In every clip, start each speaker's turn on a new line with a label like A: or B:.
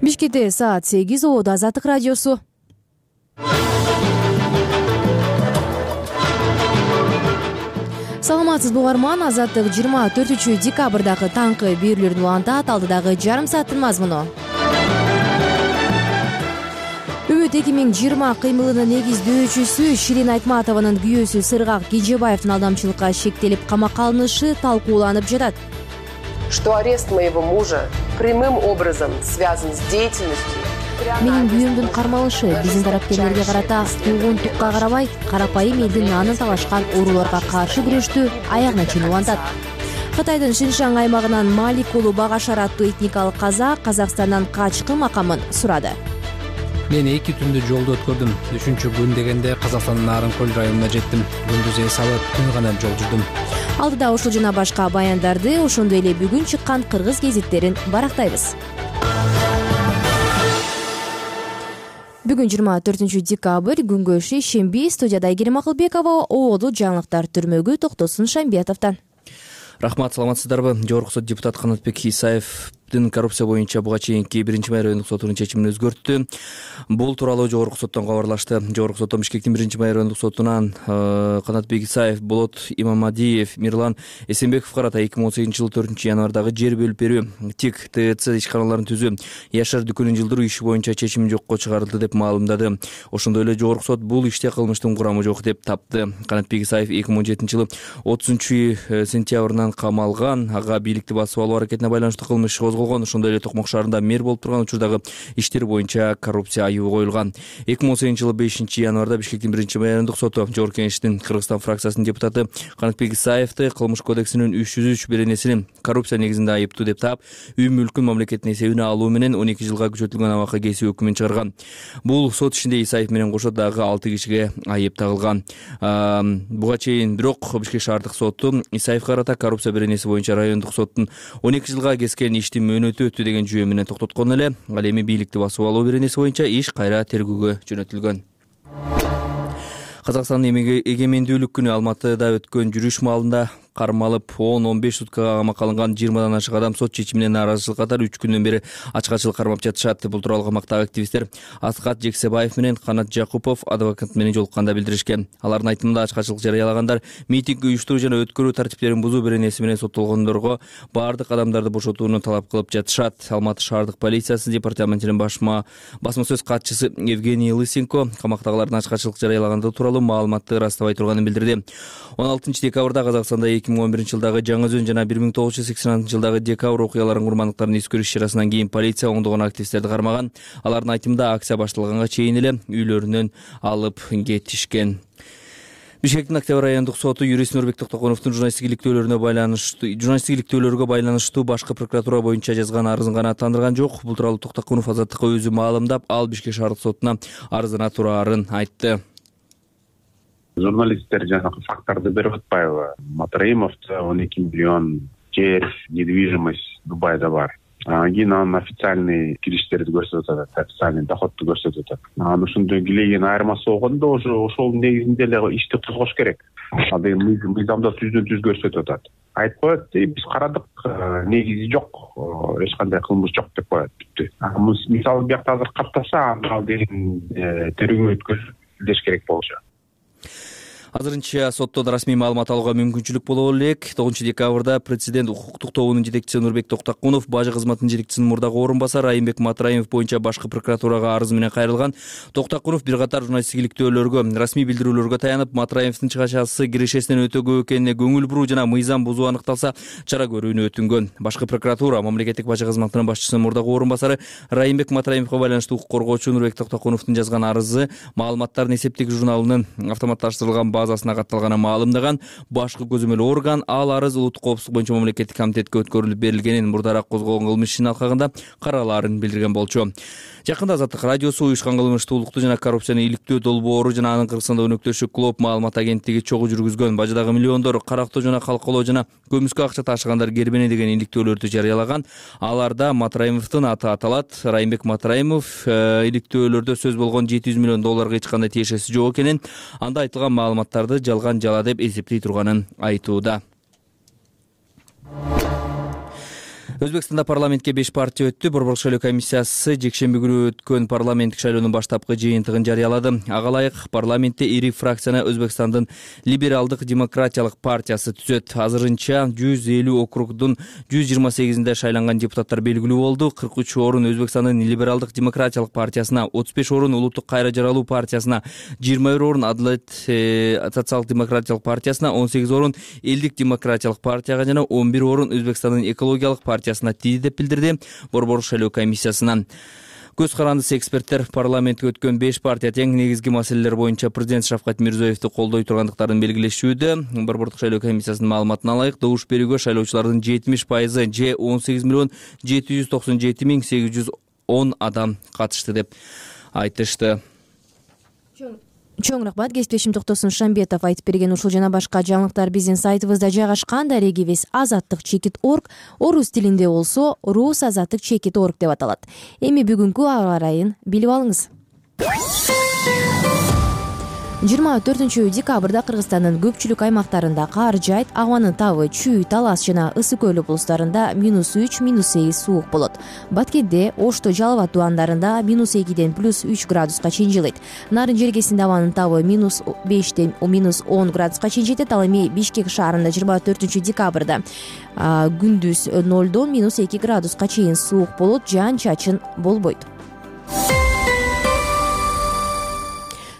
A: Бишкекте саат 8, Ободо Азаттык радиосу. Саламатсызбы угарман, Азаттык 24-декабрдагы таңкы берүүлөрдүн улантат, алдыдагы жарым сааттын мазмуну. Үмүт 2020 кыймылынын негиздөөчүсү Ширин Айтматованын күйөөсү Сыргак Кежебаевдин алдамчылыкка шектелип камакка алынышы талкууланып жатат.
B: Что арест моего мужа прямым образом связан с деятельностью.
A: Менин күйөөмдүн кармалышы биздин тараптегилерге карата туугун-тукка карабай, карапайым элдин нанын талашкан ооруларга каршы күрөштү аягына чейин улантат. Кытайдын Шиншан аймагынан Малик уулу Багашар аттуу этникалык казак Казакстандан качкын макамын сурады.
C: Мен 2 түндү жолдо өткөрдүм. 3-чү күн дегенде Казакстандын Нарынкөл районуна жеттим. Күндүз эс алып, түн гана жол жүрдүм.
A: Алдыда ушул жана башка баяндарды, ошондой эле бүгүн чыккан кыргыз гезиттерин барактайбыз. Бүгүн 24-декабрь, күнгө шейшемби. Студияда Айгерим Акылбекова, Ободо жаңылыктар түрмөгү Токтосун Шамбиятовдон.
C: Рахмат, саламатсыздарбы? Жогорку сот депутат Канатбек Исаевдин коррупция боюнча буга чейинки 1-май райондук сотунун чечимин өзгөрттү. Бул тууралуу жогорку соттон кабарлашты. Жогорку соттон Бишкектин 1-май райондук сотунан Канатбек Исаев, Болот Имамадиев, Мирлан Эсенбековго карата 2018-жылы 4-январдагы жер бөлүп берүү, ТИК ТЦ ишканаларын түзүү, Яшар дүкөнүн жылдыруу иши боюнча чечим жокко чыгарылды деп маалымдады. Ошондой эле жогорку сот бул иште кылмыштын курамы жок деп тапты. Канатбек Исаев 2017-жылы 30-сентябрынан камалган, ага бийликти басып алуу аракетине байланыштуу кылмыш иш козголгон. Ошондой эле Токмок шаарында мэр болуп турган учурдагы иштер боюнча коррупция айыбы коюлган. 2018-жылы 5-январда Бишкектин 1-май райондук соту Жогорку Кеңештин Кыргызстан фракциясынын депутаты Канатбек Исаевди Кылмыш кодексинин 303 беренесинин коррупция негизинде айыптуу деп таап, үй мүлкүн мамлекеттин эсебине алуу менен 12 жылга күчөтүлгөн абакка кесүү өкүмүн чыгарган. Бул сот ишинде Исаев менен кошо дагы 6 кишиге айып тагылган. Буга чейин бирок Бишкек шаардык соту Исаевге карата коррупция беренеси боюнча райондук соттун 12 жылга кескен иштин мөөнөтү өттү деген жүйө менен токтоткон эле. Ал эми бийликти басып алуу беренеси боюнча иш кайра тергөөгө жөнөтүлгөн. Казакстандын эгемендүүлүк күнү Алматыда өткөн жүрүш маалында кармалып 10-15 суткага камакка алынган 20дан ашык адам сот чечимине нааразычылык катары 3 күндөн бери ачкачылык кармап жатышат. Бул тууралуу камактагы активисттер Аскат Жексебаев менен Канат Жакупов адвокат менен жолукканда билдиришкен. Алардын айтымында ачкачылык жарыялагандар митинг уюштуруу жана өткөрүү тартиптерин бузуу беренеси менен соттолгондорго баардык адамдарды бошотууну талап кылып жатышат. Алматы шаардык полициясы департаментинин басма сөз катчысы Евгений Лысенко камактагылардын ачкачылык жарыялагандыгы тууралуу маалыматты ырастабай турганын билдирди. 16-декабрда Казакстанда 2011-жылдагы Жаңы Өзөн жана 1986-жылдагы декабрь окуяларынын курмандыктарын эскерүү иш-чарасынан кийин полиция оңдогон активисттерди кармаган. Алардын айтымында акция башталганга чейин эле үйлөрүнөн алып кетишкен. Бишкектин Октябрь райондук соту юрист Нурбек Токтогоновдун журналисттик иликтөөлөргө байланыштуу башкы прокуратура боюнча жазган арызын канааттандырган жок. Бул тууралуу Токтогонов Азаттыкка өзү маалымдап, ал Бишкек шаардык сотуна арызына тураарын айтты.
D: Журналисттер жанагы факттарды берип атпайбы? Матраимовдо 12 миллион жер, недвижимость Дубайда бар. Кийин анын официальный кириштерди көрсөтүп атат, официальный доходду көрсөтүп атат. Анан ушундай килеген айырмасы болгондо ошол негизинде эле ишти козгош керек. Андай мыйзамда түз көрсөтүп атат. Айтып коет, биз карадык, негизи жок, эч кандай кылмыш жок деп коет, бүттү. Мисалы биякта азыр каттаса, ал деген тергөө өткөзүш керек болчу.
C: Азырынча соттон расмий маалымат алууга мүмкүнчүлүк боло элек. 9-декабрда президент укуктук тобунун жетекчиси Нурбек Токтогонов бажы кызматынын жетекчисинин мурдагы орун басары Райымбек Матраимов боюнча башкы прокуратурага арыз менен кайрылган. Токтогонов бир катар журналисттик иликтөөлөргө, расмий билдирүүлөргө таянып, Матраимовдун чыгачасы кирешесинен өтө көп экенине көңүл буруу жана мыйзам бузуу аныкталса, чара көрүүнү өтүнгөн. Башкы прокуратура мамлекеттик бажы кызматынын башчысынын мурдагы орун басары Райымбек Матраимовго байланыштуу укук коргоочу Нурбек Токтогоновдун жазган арызы маалыматтардын эсептик журналынын автоматташтырылган базасына катталганын маалымдаган. Башкы көзөмөл орган ал арыз улуттук коопсуздук боюнча мамлекеттик комитетке өткөрүлүп берилгенин, мурдараак козголгон кылмыш ишинин алкагында каралаарын билдирген болчу. Жакында Азаттык радиосу уюшкан кылмыштуулукту жана коррупцияны иликтөө долбоору жана анын Кыргызстанда өнөктөшү Клоп маалымат агенттиги чогуу жүргүзгөн бажыдагы миллиондор карактоо жана калкалоо жана көмүскө акча ташыгандар кербене деген иликтөөлөрдү жарыялаган. Аларда Матраимовдун аты аталат. Райымбек Матраимов иликтөөлөрдө сөз болгон $700 миллион эч кандай тиешеси жок экенин, анда айтылган маалыматтарды жалган жала деп эсептей турганын айтууда. Өзбекстанда парламентке 5 партия өттү. Борбордук шайлоо комиссиясы жекшемби күнү өткөн парламенттик шайлоонун баштапкы жыйынтыгын жарыялады. Ага ылайык парламентте ири фракцияны Өзбекстандын либералдык демократиялык партиясы түзөт. Азырынча 150 округдун 128-инде шайланган депутаттар белгилүү болду. 43 орун Өзбекстандын либералдык демократиялык партиясына, 35 орун Улуттук кайра жаралуу партиясына, 21 орун Адалет социалдык демократиялык партиясына, 18 орун Элдик демократиялык партияга жана 11 орун Өзбекстандын экологиялык партиясына тиди деп билдирди борбордук шайлоо комиссиясынан. Көз карандысы эксперттер парламентке өткөн 5 партия тең негизги маселелер боюнча президент Шавкат Мирзиёевди колдой тургандыктарын белгилешүүдө. Борбордук шайлоо комиссиясынын маалыматына ылайык, добуш берүүгө шайлоочулардын 70% же 18,797,810 адам катышты деп айтышты.
A: Чоң рахмат. Кесиптешим Токтосун Шамбетов айтып берген ушул жана башка жаңылыктар биздин сайтыбызда жайгашкан. Дарегибиз azattik.org, орус тилинде болсо rusazattik.org деп аталат. Эми бүгүнкү аба ырайын билип алыңыз. 24 декабрда Кыргызстандын көпчүлүк аймактарында кар жайт, абанын табы чүй, Талас жана Ысык Көл облустарында -3, -8 суук болот. Баткенде, Ошто, Жалал Абад тубандарында -2ден +3 градуска чейин жылыйт. Нарын жергесинде абанын табы -5ден -10 градуска чейин жетет. Ал эми Бишкек шаарында 24 декабрда күндүз 0дон -2 градуска чейин суук болот, жаан-чачын болбойт.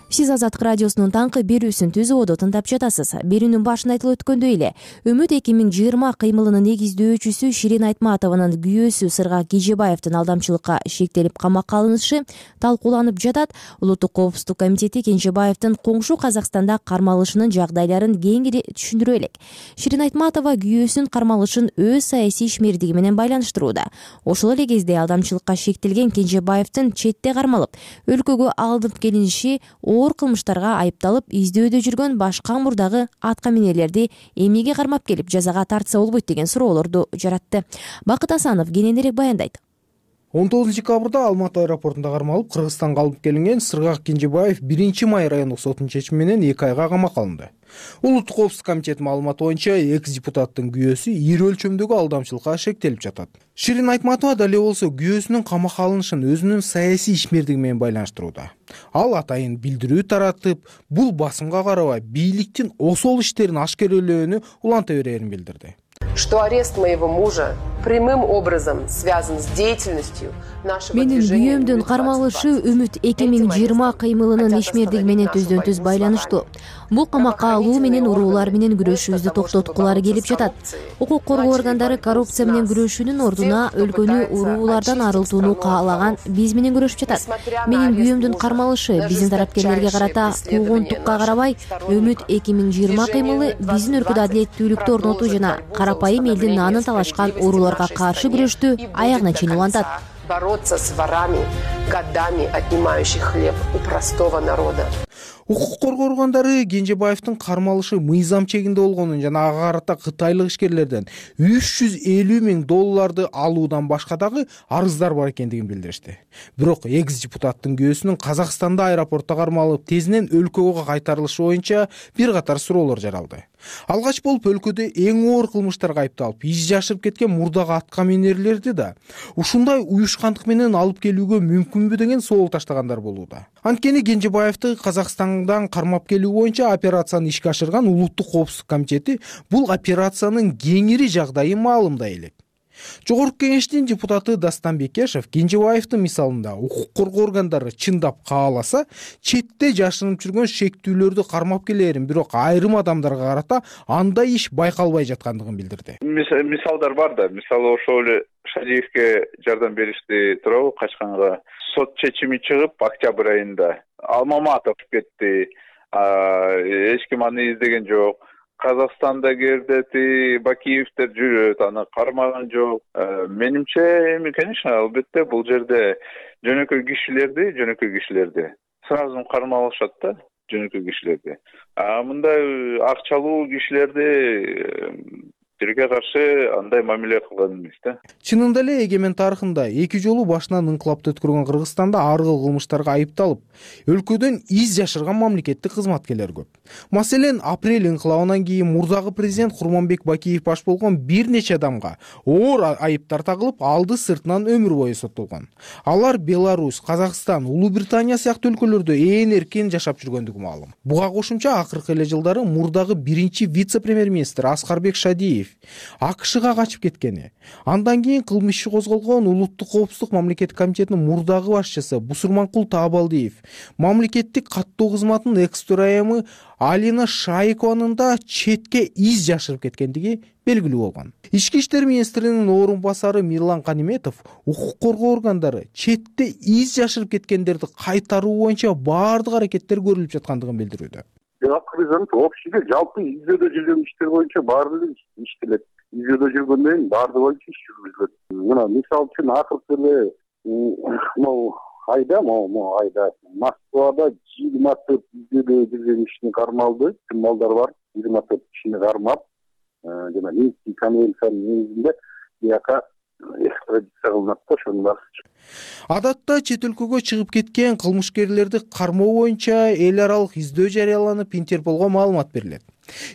A: Сиз Азаттык радиосунун таңкы берүүсүн түзүүдө тыңдап жатасыз. Берүүнүн башында айтылып өткөндөй эле, Үмүт 2020 кыймылынын негиздөөчүсү Ширин Айтматованын күйөөсү Сыргак Кенжебаевдин алдамчылыкка шектелип камакка алынышы талкууланып жатат. Улуттук коопсуздук комитети Кенжебаевдин коңшу Казакстанда кармалышынын жагдайларын кеңири түшүндүрө элек. Ширин Айтматова күйөөсүнүн кармалышын өз саясий ишмердиги менен байланыштырууда. Ошол эле кезде алдамчылыкка шектелген Кенжебаевдин четте кармалып, өлкөгө алынып келиниши оор кылмыштарга айыпталып, издөөдө жүргөн башка мурдагы аткаминерлерди эмнеге кармап келип жазага тартса болбойт деген суроолорду жаратты. Бакыт Асанов кененирээк баяндайт.
E: 19 декабрда Алматы аэропортунда кармалып, Кыргызстанга алып келинген Сыргак Кенжебаев 1 май райондук сотунун чечими менен 2 айга камакка алынды. Улуттук коопсуздук комитетинин маалыматы боюнча экс-депутаттын күйөөсү ири өлчөмдөгү алдамчылыкка шектелип жатат. Ширин Айтматова дале болсо күйөөсүнүн камакка алынышын өзүнүн саясий ишмердиги менен байланыштырууда. Ал атайын билдирүү таратып, бул басымга карабай бийликтин осол иштерин ашкерелөөнү уланта берерин билдирди.
B: Что арест моего мужа прямым образом связан с деятельностью нашего движения.
A: Менин күйөөмдүн кармалышы Үмүт 2020 кыймылынын ишмердиги менен түздөн-түз байланыштуу. Бул камакка алуу менен уруулар менен күрөшүүбүздү токтоткулары келип жатат. Укук коргоо органдары коррупция менен күрөшүүнүн ордуна өлкөнү уруулардан арылтууну каалаган биз менен күрөшүп жатат. Менин күйөөмдүн кармалышы биздин тарапкерлерге карата куугунтукка карабай, Үмүт 2020 кыймылы биздин өлкөдө адилеттүүлүктү орнотуу жана карапайым элдин наанын талашкан урууларга каршы күрөштү аягына чейин улантат.
B: Бороться с ворами, годами отнимающих хлеб у простого народа.
E: Укук коргоо органдары Кенжебаевдин кармалышы мыйзам чегинде болгонун жана ага карата кытайлык ишкерлерден $350,000 алуудан башка дагы арыздар бар экендигин билдиришти. Бирок экс-депутаттын күйөөсүнүн Казакстанда аэропортто кармалып, тезинен өлкөгө кайтарылышы боюнча бир катар суроолор жаралды. Алгач болуп өлкөдө эң оор кылмыштарга айыпталып, из жашырып кеткен мурдагы аткаминерлерди да ушундай уюшкандык менен алып келүүгө мүмкүнбү деген соол таштагандар болууда. Анткени Кенжебаевди Казакстандан кармап келүү боюнча операцияны ишке ашырган Улуттук коопсуздук комитети бул операциянын кеңири жагдайын маалымдай элек. Жогорку кеңештин депутаты Дастан Бекешев Кенжебаевдин мисалында укук коргоо органдары чындап кааласа, четте жашырынып жүргөн шектүүлөрдү кармап келерин, бирок айрым адамдарга карата андай иш байкалбай жаткандыгын билдирди.
F: Мисалдар бар да. Мисалы ошол эле Шадиевке жардам беришти туурабы, качканга. Сот чечими чыгып, октябрь айында Алмаматов кетти. Эч ким аны издеген жок. Казакстанда кердети Бакиевдер жүрөт, аны кармаган жок. Менимче, конечно, албетте бул жерде жөнөкөй кишилерди сразу кармалышат да, жөнөкөй кишилерди. Мындай акчалуу кишилерди жерге каршы андай мамиле кылган эмес да.
E: Чынында эле эгемен тарыхында 2 жолу башынан инкылапты өткөргөн Кыргызстанда ар кыл кылмыштарга айыпталып, өлкөдөн из жашырган мамлекеттик кызматкерлер көп. Маселен, апрель инкылабынан кийин мурдагы президент Курманбек Бакиев баш болгон бир нече адамга оор айыптар тагылып, алды сыртынан өмүр бою соттолгон. Алар Беларусь, Казакстан, Улуу Британия сыяктуу өлкөлөрдө ээн эркин жашап жүргөндүгү маалым. Буга кошумча акыркы эле жылдары мурдагы биринчи вице-премьер-министр Аскарбек Шадиев АКШга качып кеткени, андан кийин кылмыш иши козголгон Улуттук коопсуздук мамлекеттик комитетинин мурдагы башчысы Бусурманкул Таабалдиев, мамлекеттик каттоо кызматынын экс-төрайымы Алина Шайкованын да четке из жашырып кеткендиги белгилүү болгон. Ички иштер министринин орун басары Мирлан Каниметов укук коргоо органдары четте из жашырып кеткендерди кайтаруу боюнча баардык аракеттер көрүлүп жаткандыгын билдирүүдө.
G: Общийде жалпы издөдө жүргөн иштер боюнча баардыгы иштелет. Издөдө жүргөндөн кийин баардыгы боюнча иш жүргүзүлөт. Мына мисал үчүн акыркы эле айда Москвада 24 издөдө жүргөн кишини кармалды. Малдар бар, 24 кишини кармап, жана Минский конвенциянын негизинде бияка экстрадиция кылынат да, ошондор.
E: Адатта чет өлкөгө чыгып кеткен кылмышкерлерди кармоо боюнча эл аралык издөө жарыяланып, Интерполго маалымат берилет.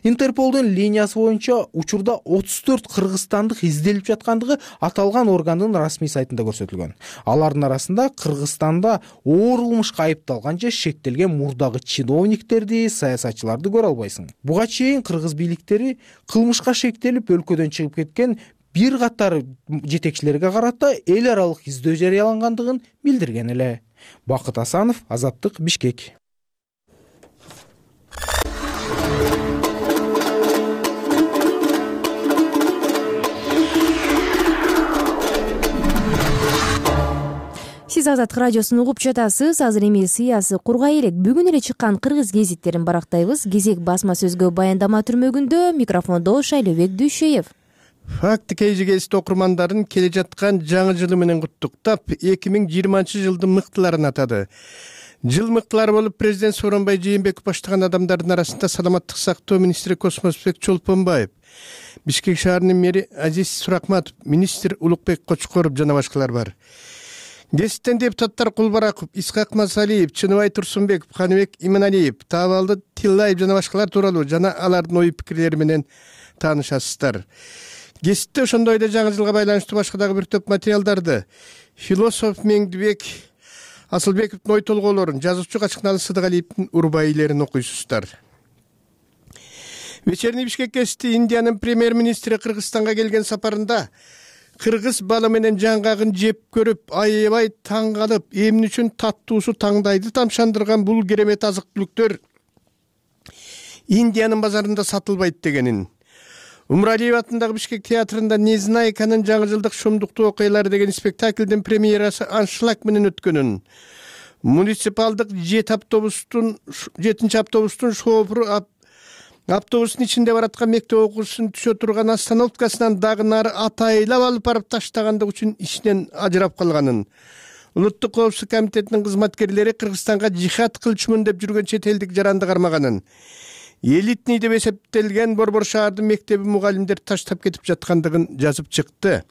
E: Интерполдун линиясы боюнча учурда 34 кыргызстандык изделип жаткандыгы аталган органдын расмий сайтында көрсөтүлгөн. Алардын арасында Кыргызстанда оор кылмышка айыпталган же шектелген мурдагы чиновниктерди, саясатчыларды көрө албайсың. Буга чейин кыргыз бийликтери кылмышка шектелип өлкөдөн чыгып кеткен бир катар жетекчилерге карата эл аралык издөө жарыялангандыгын билдирген эле. Бакыт Асанов, Азаттык, Бишкек.
A: Сиз Азаттык радиосун угуп жатасыз. Азыр эми сыясы кургай элек. Бүгүн эле чыккан кыргыз гезиттерин барактайбыз. Кезек басма сөзгө баяндама түрмөгүндө, микрофондо Шайлообек Дүйшөев.
H: Факт KG гезит окурмандарын келе жаткан жаңы жылы менен куттуктап, 2020-жылдын мыктыларын атады. Жыл мыктылары болуп президент Сооронбай Жээнбеков баштаган адамдардын арасында саламаттык сактоо министри Космосбек Чолпонбаев, Бишкек шаарынын мэри Азиз Суракматов, министр Улукбек Кочкоров жана башкалар бар. Гезиттен депутаттар Кулбараков, Исхак Масалиев, Чыныбай Турсунбеков, Каныбек Иманалиев, Таабалды Тиллаев жана башкалар тууралуу жана алардын ой пикирлери менен таанышасыздар. Гезитте ошондой эле жаңы жылга байланыштуу башка дагы бир топ материалдарды, философ Меңдибек Асылбековдун ой толгоолорун, жазуучу Качкыналы Сыдыгалиевдин урбайлерин окуйсуздар. Вечерний Бишкек гезити Индиянын премьер-министри Кыргызстанга келген сапарында кыргыз балы менен жаңгагын жеп көрүп, аябай таң калып, эмне үчүн таттуусу таңдайды тамшандырган бул керемет азык-түлүктөр Индиянын базарында сатылбайт дегенин. Умралиев атындагы Бишкек театрында Незнайканын жаңы жылдык шумдуктуу окуялары деген спектаклдин премьерасы аншлаг менен өткөнүн, муниципалдык 7-нчи автобустун шофуру автобустун ичинде бараткан мектеп окуучусун түшө турган остановкасынан дагы нары атайлап алып барып таштагандык үчүн ишинен ажырап калганын, Улуттук коопсуздук комитетинин кызматкерлери Кыргызстанга жихад кылчумун деп жүргөн чет элдик жаранды кармаганын, элитный деп эсептелген Борбор шаардын мектеби мугалимдер таштап кетип жаткандыгын жазып чыкты.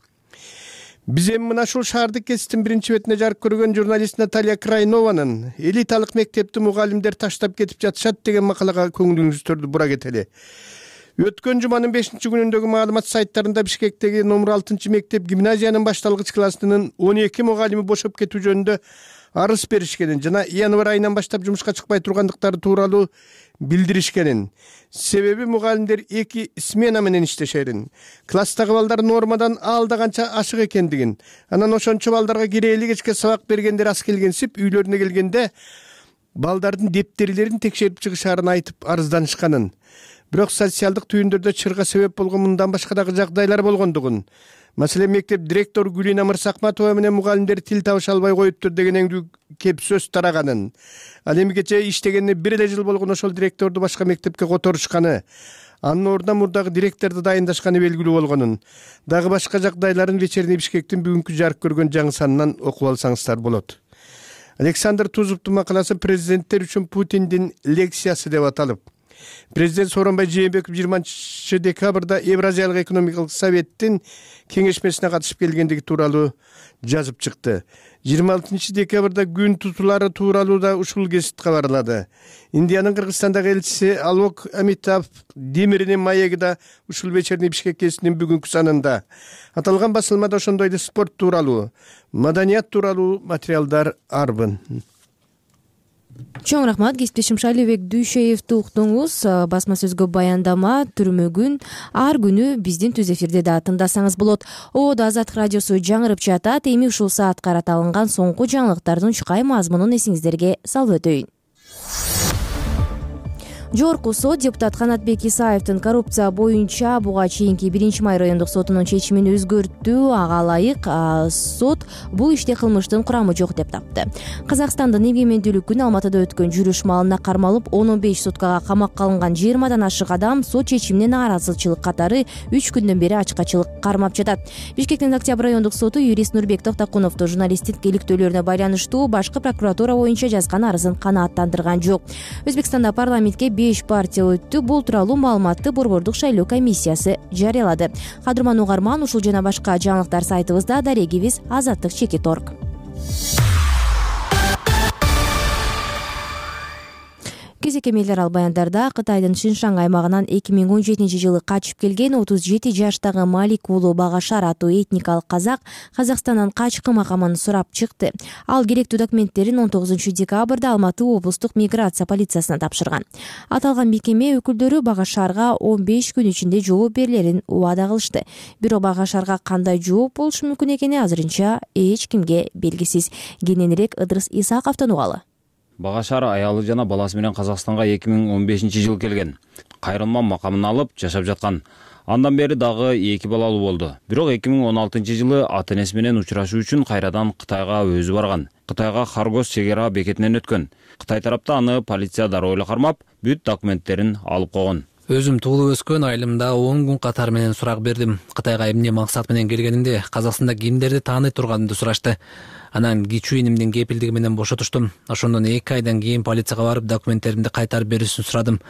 H: Биз эми мына ушул шаардык гезиттин биринчи бетине жарык көргөн журналист Наталья Крайнованын элиталык мектепти мугалимдер таштап кетип жатышат деген макалага көңүлүңүздү бура кетели. Өткөн жуманын 5-күнүндөгү маалымат сайттарында Бишкектеги номер 6-мектеп гимназиянын башталгыч классынын 12 мугалими бошоп кетүү жөнүндө арыз беришкенин жана январь айынан баштап жумушка чыкпай тургандыктары тууралуу билдиришкенин. Себеби мугалимдер 2 смена менен иштешерин, класстагы балдар нормадан алдаганча ашык экендигин, анан ошончо балдарга кирээли кечке сабак бергендер аз келгенсип, үйлөрүнө келгенде балдардын дептерлерин текшерип чыгышаарын айтып арызданышканын. Бирок социалдык түйүндөрдө чырга себеп болгон мындан башка дагы жагдайлар болгондугун, маселен мектеп директору Гүлина Мырсакматова менен мугалимдер тил табыша албай коюптур дегенеңдүү кеп сөз тараганын, ал эми кечээ иштегенине 1 эле жыл болгон ошол директорду башка мектепке которушканы, анын ордуна мурдагы директорду дайындашканы белгилүү болгонун, дагы башка жагдайларын Вечерний Бишкектин бүгүнкү жарык көргөн жаңы санынан окуп алсаңыздар болот. Александр Тузовдун макаласы президенттер үчүн Путиндин лекциясы деп аталып, Президент Сооронбай Жээнбеков 20 декабрда Евразиялык экономикалык советтин кеңешмесине катышып келгендиги тууралуу жазып чыкты. 26 декабрда күн тутулары тууралуу да ушул гезит кабарлады. Индиянын Кыргызстандагы элчиси Алок Амитав Демиринин маеги да ушул вечерний Бишкек гезитинин бүгүнкү санында. Аталган басылмада ошондой эле спорт тууралуу, маданият тууралуу материалдар арбын.
A: Чоң рахмат, кесиптешим Шайлебек Дүйшеевди уктуңуз. Басма сөзгө баяндама түрмөгүн ар күнү биздин түз эфирде да тыңдасаңыз болот. Ободо Азаттык радиосу жаңырып жатат. Эми ушул саат карата алынган соңку жаңылыктардын чукай мазмунун эсиңиздерге салып өтөйүн. Жогорку сот депутат Канатбек Исаевдин коррупция боюнча буга чейинки 1-май райондук сотунун чечимин өзгөрттү. Ага ылайык сот бул иште кылмыштын курамы жок деп тапты. Казакстандын эгемендүүлүк күнү Алматыда өткөн жүрүш маалына кармалып 15 суткага камакка алынган 20 ашык адам сот чечимине нааразычылык катары 3 күндөн бери ачкачылык кармап жатат. Бишкектин Октябрь райондук соту юрист Нурбек Токтокуновду журналисттик иликтөөлөрүнө байланыштуу башкы прокуратура боюнча жазган арызын канааттандырган жок. Өзбекстанда парламентке 5 партия өттү. Бул тууралуу маалыматты Борбордук шайлоо комиссиясы жарыялады. Кадырман угарман, ушул жана башка жаңылыктар сайтыбызда, дарегибиз azаттык.org. Кезекке мейлер ал баяндарда Кытайдын Шиншан аймагынан 2017-жылы качып келген 37 жаштагы Малик уулу Багашар аттуу этникалык казак Казакстандан качкын макамын сурап чыкты. Ал керектүү документтерин 19 декабрда Алматы облустук миграция полициясына тапшырган. Аталган мекеме өкүлдөрү Багашарга 15 күн ичинде жооп берилерин убада кылышты. Бирок Багашарга кандай жооп болушу мүмкүн экени азырынча эч кимге белгисиз. Кененирээк Ыдырыс Исаковдон угалы.
I: Багашар аялы жана баласы менен Казакстанга 2015-жылы келген. Кайрылма макамын алып жашап жаткан. Андан бери дагы 2 балалуу болду. Бирок 2016-жылы ата-энеси менен учурашуу үчүн кайрадан Кытайга өзү барган. Кытайга Харгос чек ара бекетинен өткөн. Кытай тарапта аны полиция дароо эле кармап, бүт документтерин алып койгон.
J: Өзүм туулуп өскөн айылымда 10 күн катар менен сурак бердим. Кытайга эмне максат менен келгенимди, Казакстанда кимдерди тааный турганымды сурашты. Анан кичүү инимдин кепилдиги менен бошотуштум. Ошондон 2 айдан кийин полицияга барып документтеримди кайтарып берүүсүн сурадым.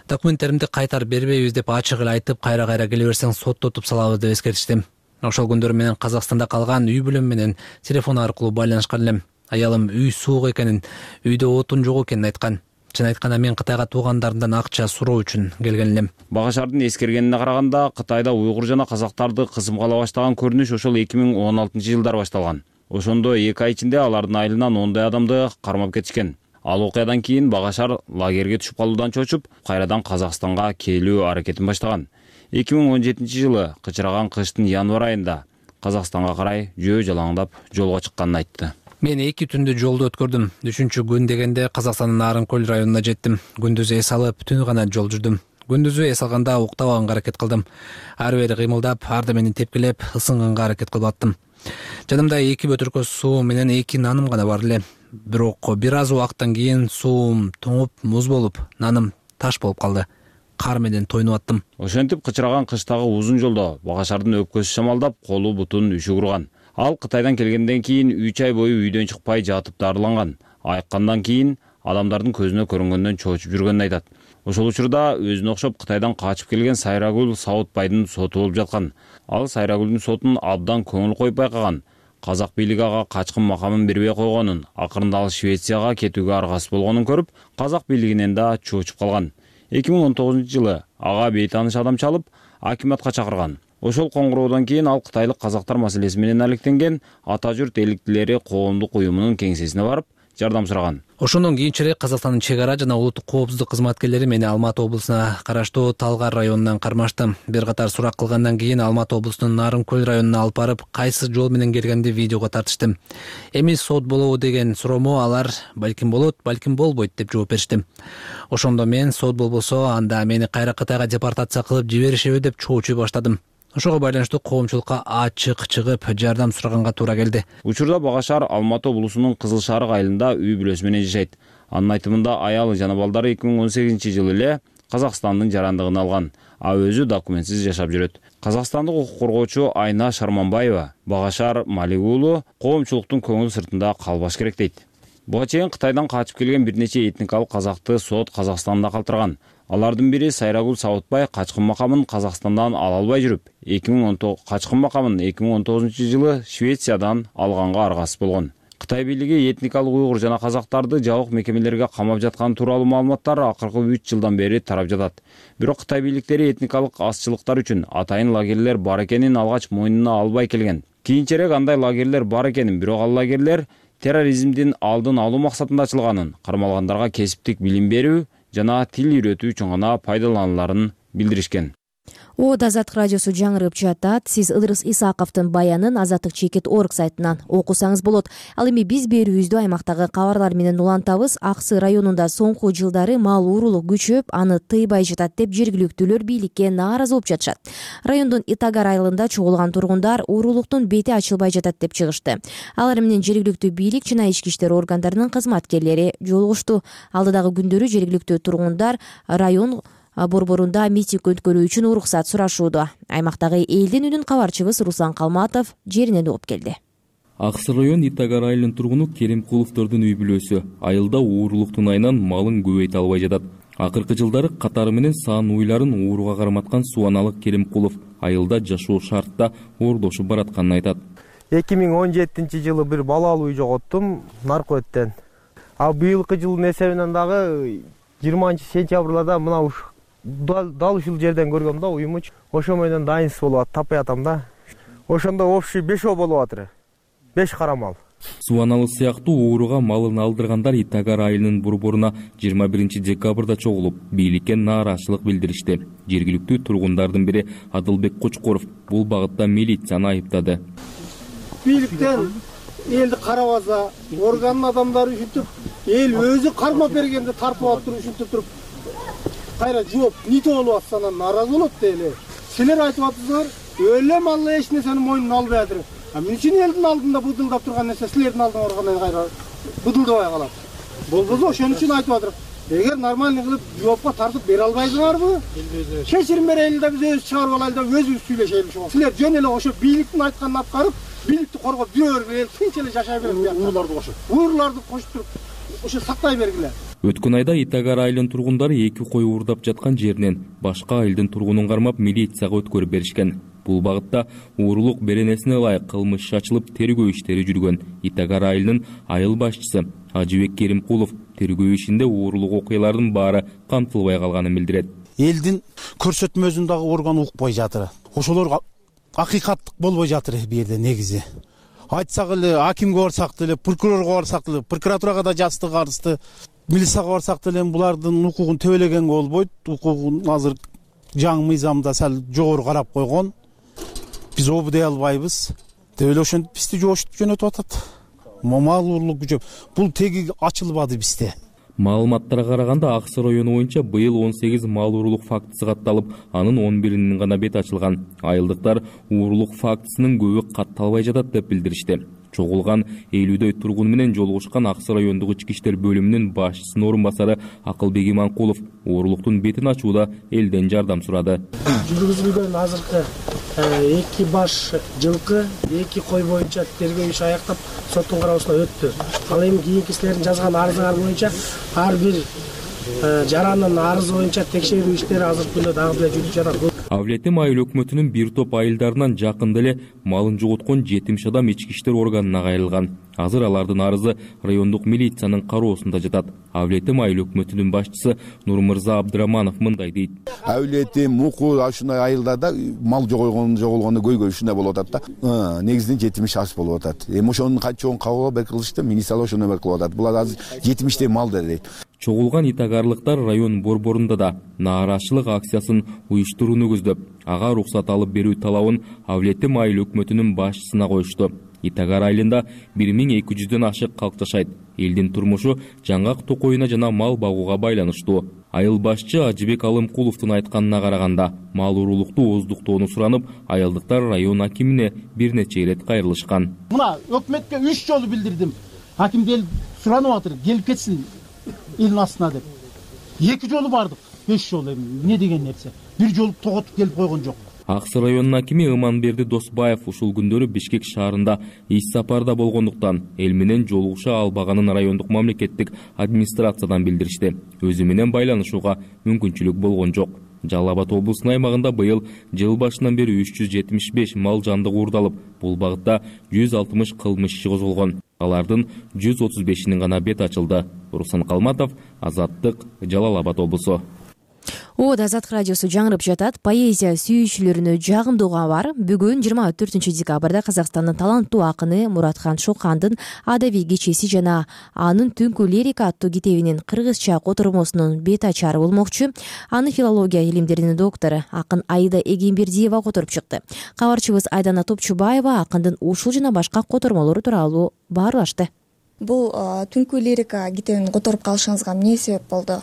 J: Документтеримди кайтарып бербейбиз деп ачык эле айтып, кайра келе берсең соттотуп салабыз деп эскертиштим. Ошол күндөрү менен Казакстанда калган үй бүлөм менен телефон аркылуу байланышкан элем. Аялым үй суук экенин, үйдө отун жок экенин айткан. Чын айтканда мен Кытайга туугандарымдан акча суроо үчүн келген элем.
I: Багашардын эскергенине караганда, Кытайда уйгур жана казактарды кысымгала баштаган көрүнүш ошол 2016-жылдар башталган. Ошондо 2 ай ичинде алардын айылынан 10дай адамды кармап кетишкен. Ал окуядан кийин Багашар лагерге түшүп калуудан чочуп, кайрадан Казакстанга келүү аракетин баштаган. 2017-жылы кычыраган кыштын январь айында Казакстанга карай жөө жалаңдап жолго чыкканын айтты.
J: Мен 2 түндү жолду өткөрдүм. 3-чү күн дегенде Казакстандын Нарынкөл районуна жеттим. Күндүз эс алып, түнү гана жол жүрдүм. Күндүзү эс алганда уктабаганга аракет кылдым. Ары бери кыймылдап, арда мени тепкилеп, ысынганга аракет кылып аттым. Жанымда 2 бөтөркө суу менен 2 наным гана бар эле. Бирок бир аз убакыттан кийин суум тоңуп, муз болуп, наным таш болуп калды. Кар менен тойнуп аттым.
I: Ошентип кычыраган кыштагы узун жолдо Багашардын өпкөсү шамалдап, колу бутун үшүгүрган. Ал Кытайдан келгенден кийин 3 ай бою үйдөн чыкпай жатып дарыланган. Айыккандан кийин адамдардын көзүнө көрүнгөндөн чоочуп жүргөнүн айтат. Ошол учурда өзүнө окшоп Кытайдан качып келген Сайрагүл Саутбайдын соту болуп жаткан. Ал Сайрагүлдүн сотун абдан көңүл коюп байкаган. Казак бийлиги ага качкын макамын бербей койгонун, акырында ал Швецияга кетүүгө аргасыз болгонун көрүп, казак бийлигинен да чоочуп калган. 2019-жылы ага бейтааныш адам чалып, акиматка чакырган. Ошол коңгуроодон кийин ал кытайлык казактар маселеси менен алектенген Ата журт эликтилери коомдук уюмунун кеңсесине барып, жардам сураган.
J: Ошондон кийинчерээк Казакстандын чек ара жана улуттук коопсуздук кызматкерлери мени Алматы облусуна караштуу Талгар районунан кармашты. Бир катар сурак кылгандан кийин Алматы облусунун Нарынкөл районуна алып барып, кайсы жол менен келгенди видеого тартышты. Эми сот болобу деген суроомо алар балким болот, балким болбойт деп жооп беришти. Ошондо мен сот болбосо анда мени кайра Кытайга депортация кылып жиберишеби деп чоочуй баштадым. Ошого байланыштуу коомчулукка ачык чыгып жардам сураганга туура келди.
I: Учурда Багашар Алматы облусунун Кызыл Шарык айылында үй бүлөсү менен жашайт. Анын айтымында аялы жана балдары 2018-жылы эле Казакстандын жарандыгын алган, а өзү документсиз жашап жүрөт. Казакстандык укук коргоочу Айна Шарманбаева Багашар Малик уулу коомчулуктун көңүл сыртында калбаш керек дейт. Буга чейин Кытайдан качып келген бир нече этникалык казакты сот Казакстанда калтырган. Алардын бири Сайрагул Сабытбай качкын макамын Казакстандан ала албай жүрүп, качкын макамын 2019-жылы Швециядан алганга аргасыз болгон. Кытай бийлиги этникалык уйгур жана казактарды жабык мекемелерге камап жатканы тууралуу маалыматтар акыркы 3 жылдан бери тарап жатат. Бирок Кытай бийликтери этникалык азчылыктар үчүн атайын лагерлер бар экенин алгач мойнуна албай келген. Кийинчерээк андай лагерлер бар экенин, бирок ал лагерлер терроризмдин алдын алуу максатында ачылганын, кармалгандарга кесиптик билим берүү жана тил үйрөтүү үчүн гана пайдалануларын билдиришкен.
A: Азаттык радиосу жаңырып жатат. Сиз Ыдырыс Исаковдун баянын Азаттык Чекит.org сайтынан окусаңыз болот. Ал эми биз берүүбүздү аймактагы кабарлар менен улантабыз. Аксы районунда соңку жылдары мал уурулук күчөп, аны тыйбай жатат деп жергиликтүүлөр бийликке нааразы болуп жатышат. Райондун Итагар айылында чогулган тургундар уурулуктун бети ачылбай жатат деп чыгышты. Алар менен жергиликтүү бийлик жана ички иштер органдарынын кызматкерлери жолугушту. Алдыдагы күндөрү жергиликтүү тургундар район борборунда митинг өткөрүү үчүн уруксат сурашууда. Аймактагы элдин үнүн кабарчыбыз Руслан Калматов жеринен угуп келди.
C: Аксы район Итагар айылынын тургуну Керимкуловдордун үй бүлөсү. Айылда уурулуктун айынан малын көбөйтө албай жатат. Акыркы жылдары катары менен саан уйларын ууруга карматкан Субаналык Керимкулов айылда жашоо шартта оордошуп баратканын айтат.
K: 2017-жылы бир бала алуу жоготтум наркоттен. А быйылкы жылдын эсебинен дагы 20-сентябрда мына дал ушул жерден көргөм да уюмуч. Ошо менен дайынсыз болуп атат, таппай атам да. Ошондо общий 5 болуп атыр. 5 кара мал.
C: Субаналы сыяктуу ууруга малын алдыргандар Итагар айылынын борборуна 21 декабрда чогулуп, бийликке нааразычылык билдиришти. Жергиликтүү тургундардын бири Адылбек Кочкоров бул багытта милицияны айыптады.
L: Бийликтен элди карабаса, орган адамдары ушинтип, эл өзү кармап бергенде тартып алып туруп ушинтип туруп кайра жооп нитип болуп атса анан нааразы болот да эле. Силер айтып атсыздар, өлө мал эч нерсени мойнуна албай атыр. Мен үчүн элдин алдында быдылдап турган нерсе силердин алдыңа баргандан кайра быдылдабай калат. Болбосо ошон үчүн айтып атыр. Эгер нормальный кылып жоопко тартып бере албайсыңарбы? Кечирим берели да биз өзү чыгарып алайлы да өзүбүз сүйлөшели ошого. Силер жөн эле ошо бийликтин айтканын аткарып, бийликти коргоп жүрө бергиле, тынч эле жашай бергиле. Ууруларды кошуп. Ууруларды кошуп туруп ошо сактай бергиле.
C: Өткөн айда Итагар айылынын тургундары 2 кой уурдап жаткан жеринен башка айылдын тургунун кармап милицияга өткөрүп беришкен. Бул багытта уурулук беренесине ылайык кылмыш иш ачылып, тергөө иштери жүргөн. Итагар айылынын айыл башчысы Ажыбек Керимкулов тергөө ишинде уурулук окуялардын баары камтылбай калганын билдирет.
M: Элдин көрсөтмөсүн дагы орган укпай жатыр. Ошолор акыйкаттык болбой жатыр бу жерде негизи. Айтсак эле акимге барсак деле, прокурорго барсак деле, прокуратурага да жаздык арызды, милицияга барсак деле булардын укугун төбөлөгөнгө болбойт. Укугун азыр жаңы мыйзамда сал жогору карап койгон. Биз обу дей албайбыз. Деп эле ошентип бизди жошутуп жөнөтүп атат. Мал уурулук күчөп. Бул теги ачылбады бизде.
C: Маалыматтарга караганда Аксы району боюнча быйыл 18 мал уурулук фактысы катталып, анын 11-inin гана бет ачылган. Айылдыктар уурулук фактысынын көбү катталбай жатат деп билдиришти. Чогулган 50дөй тургун менен жолугушкан Аксы райондук ички иштер бөлүмүнүн башчысынын орун басары Акылбек Иманкулов уурулуктун бетин ачууда элден жардам сурады.
L: Жүргүзүлгөн азыркы 2 баш жылкы, 2 кой боюнча тергөө иши аяктап, соттун кароосуна өттү. Ал эми кийинки силердин жазган арызыңар боюнча ар бир жаранын арызы боюнча текшерүү иштери азыркы күндө дагы деле жүрүп жатат.
C: Авлетим айыл өкмөтүнүн бир топ айылдарынан жакында эле малын жоготкон 70 адам ички иштер органына кайрылган. Азыр алардын арызы райондук милициянын кароосунда жатат. Авлетим айыл өкмөтүнүн башчысы Нурмырза Абдыраманов мындай дейт.
N: Авлетим, Муку ушундай айылдарда мал жоголгону көйгөй ушундай болуп атат да. Негизинен 70 аш болуп атат. Эми ошонун канчогун кабыл бер кылышты, милиция ошону бер кылып атат. Булар азыр 70 мал дейт.
C: Чогулган итагарлыктар район борборунда да нааразычылык акциясын уюштурууну көздөп, ага уруксат алып берүү талабын Авлетим айыл өкмөтүнүн башчысына коюшту. Итагар айылында 1200дөн ашык калк жашайт. Элдин турмушу жаңгак токоюна жана мал багууга байланыштуу. Айыл башчы Ажыбек Алымкуловдун айтканына караганда, мал уурулукту ооздуктоону суранып, айылдыктар район акимине бир нече ирет кайрылышкан.
L: Мына өкмөткө 3 жолу билдирдим. Аким суранып атыр, келип кетсин элдин астына деп. 2 жолу бардык, 5 жолу эми эмне деген нерсе. 1 жолу тоготуп келип койгон жок.
O: Ак Сый районунун акими Ыманберди Досбаев ушул күндөрү Бишкек шаарында иш сапарда болгондуктан эл менен жолугуша албаганын райондук мамлекеттик администрациядан билдиришти. Өзү менен байланышууга мүмкүнчүлүк болгон жок. Жалал Абад облусунун аймагында быйыл жыл башынан бери 375 мал жандык уурдалып, бул багытта 160 кылмыш иши козголгон. Алардын 135-инин гана бет ачылды. Руслан Калматов, Азаттык, Жалал Абад облусу.
A: Азаттык радиосу жаңырып жатат. Поэзия сүйүүчүлөрүнө жагымдуу кабар. Бүгүн 24 декабрда Казакстандын таланттуу акыны Муратхан Шокандын адабий кечеси жана анын Түнкү лирика аттуу китебинин кыргызча котормосунун бет ачары болмокчу. Аны филология илимдеринин доктору акын Аида Эгембердиева которуп чыкты. Кабарчыбыз Айдана Топчубаева акындын ушул жана башка котормолору тууралуу баарлашты.
P: Бул Түнкү лирика китебин которуп калышыңызга эмне себеп болду?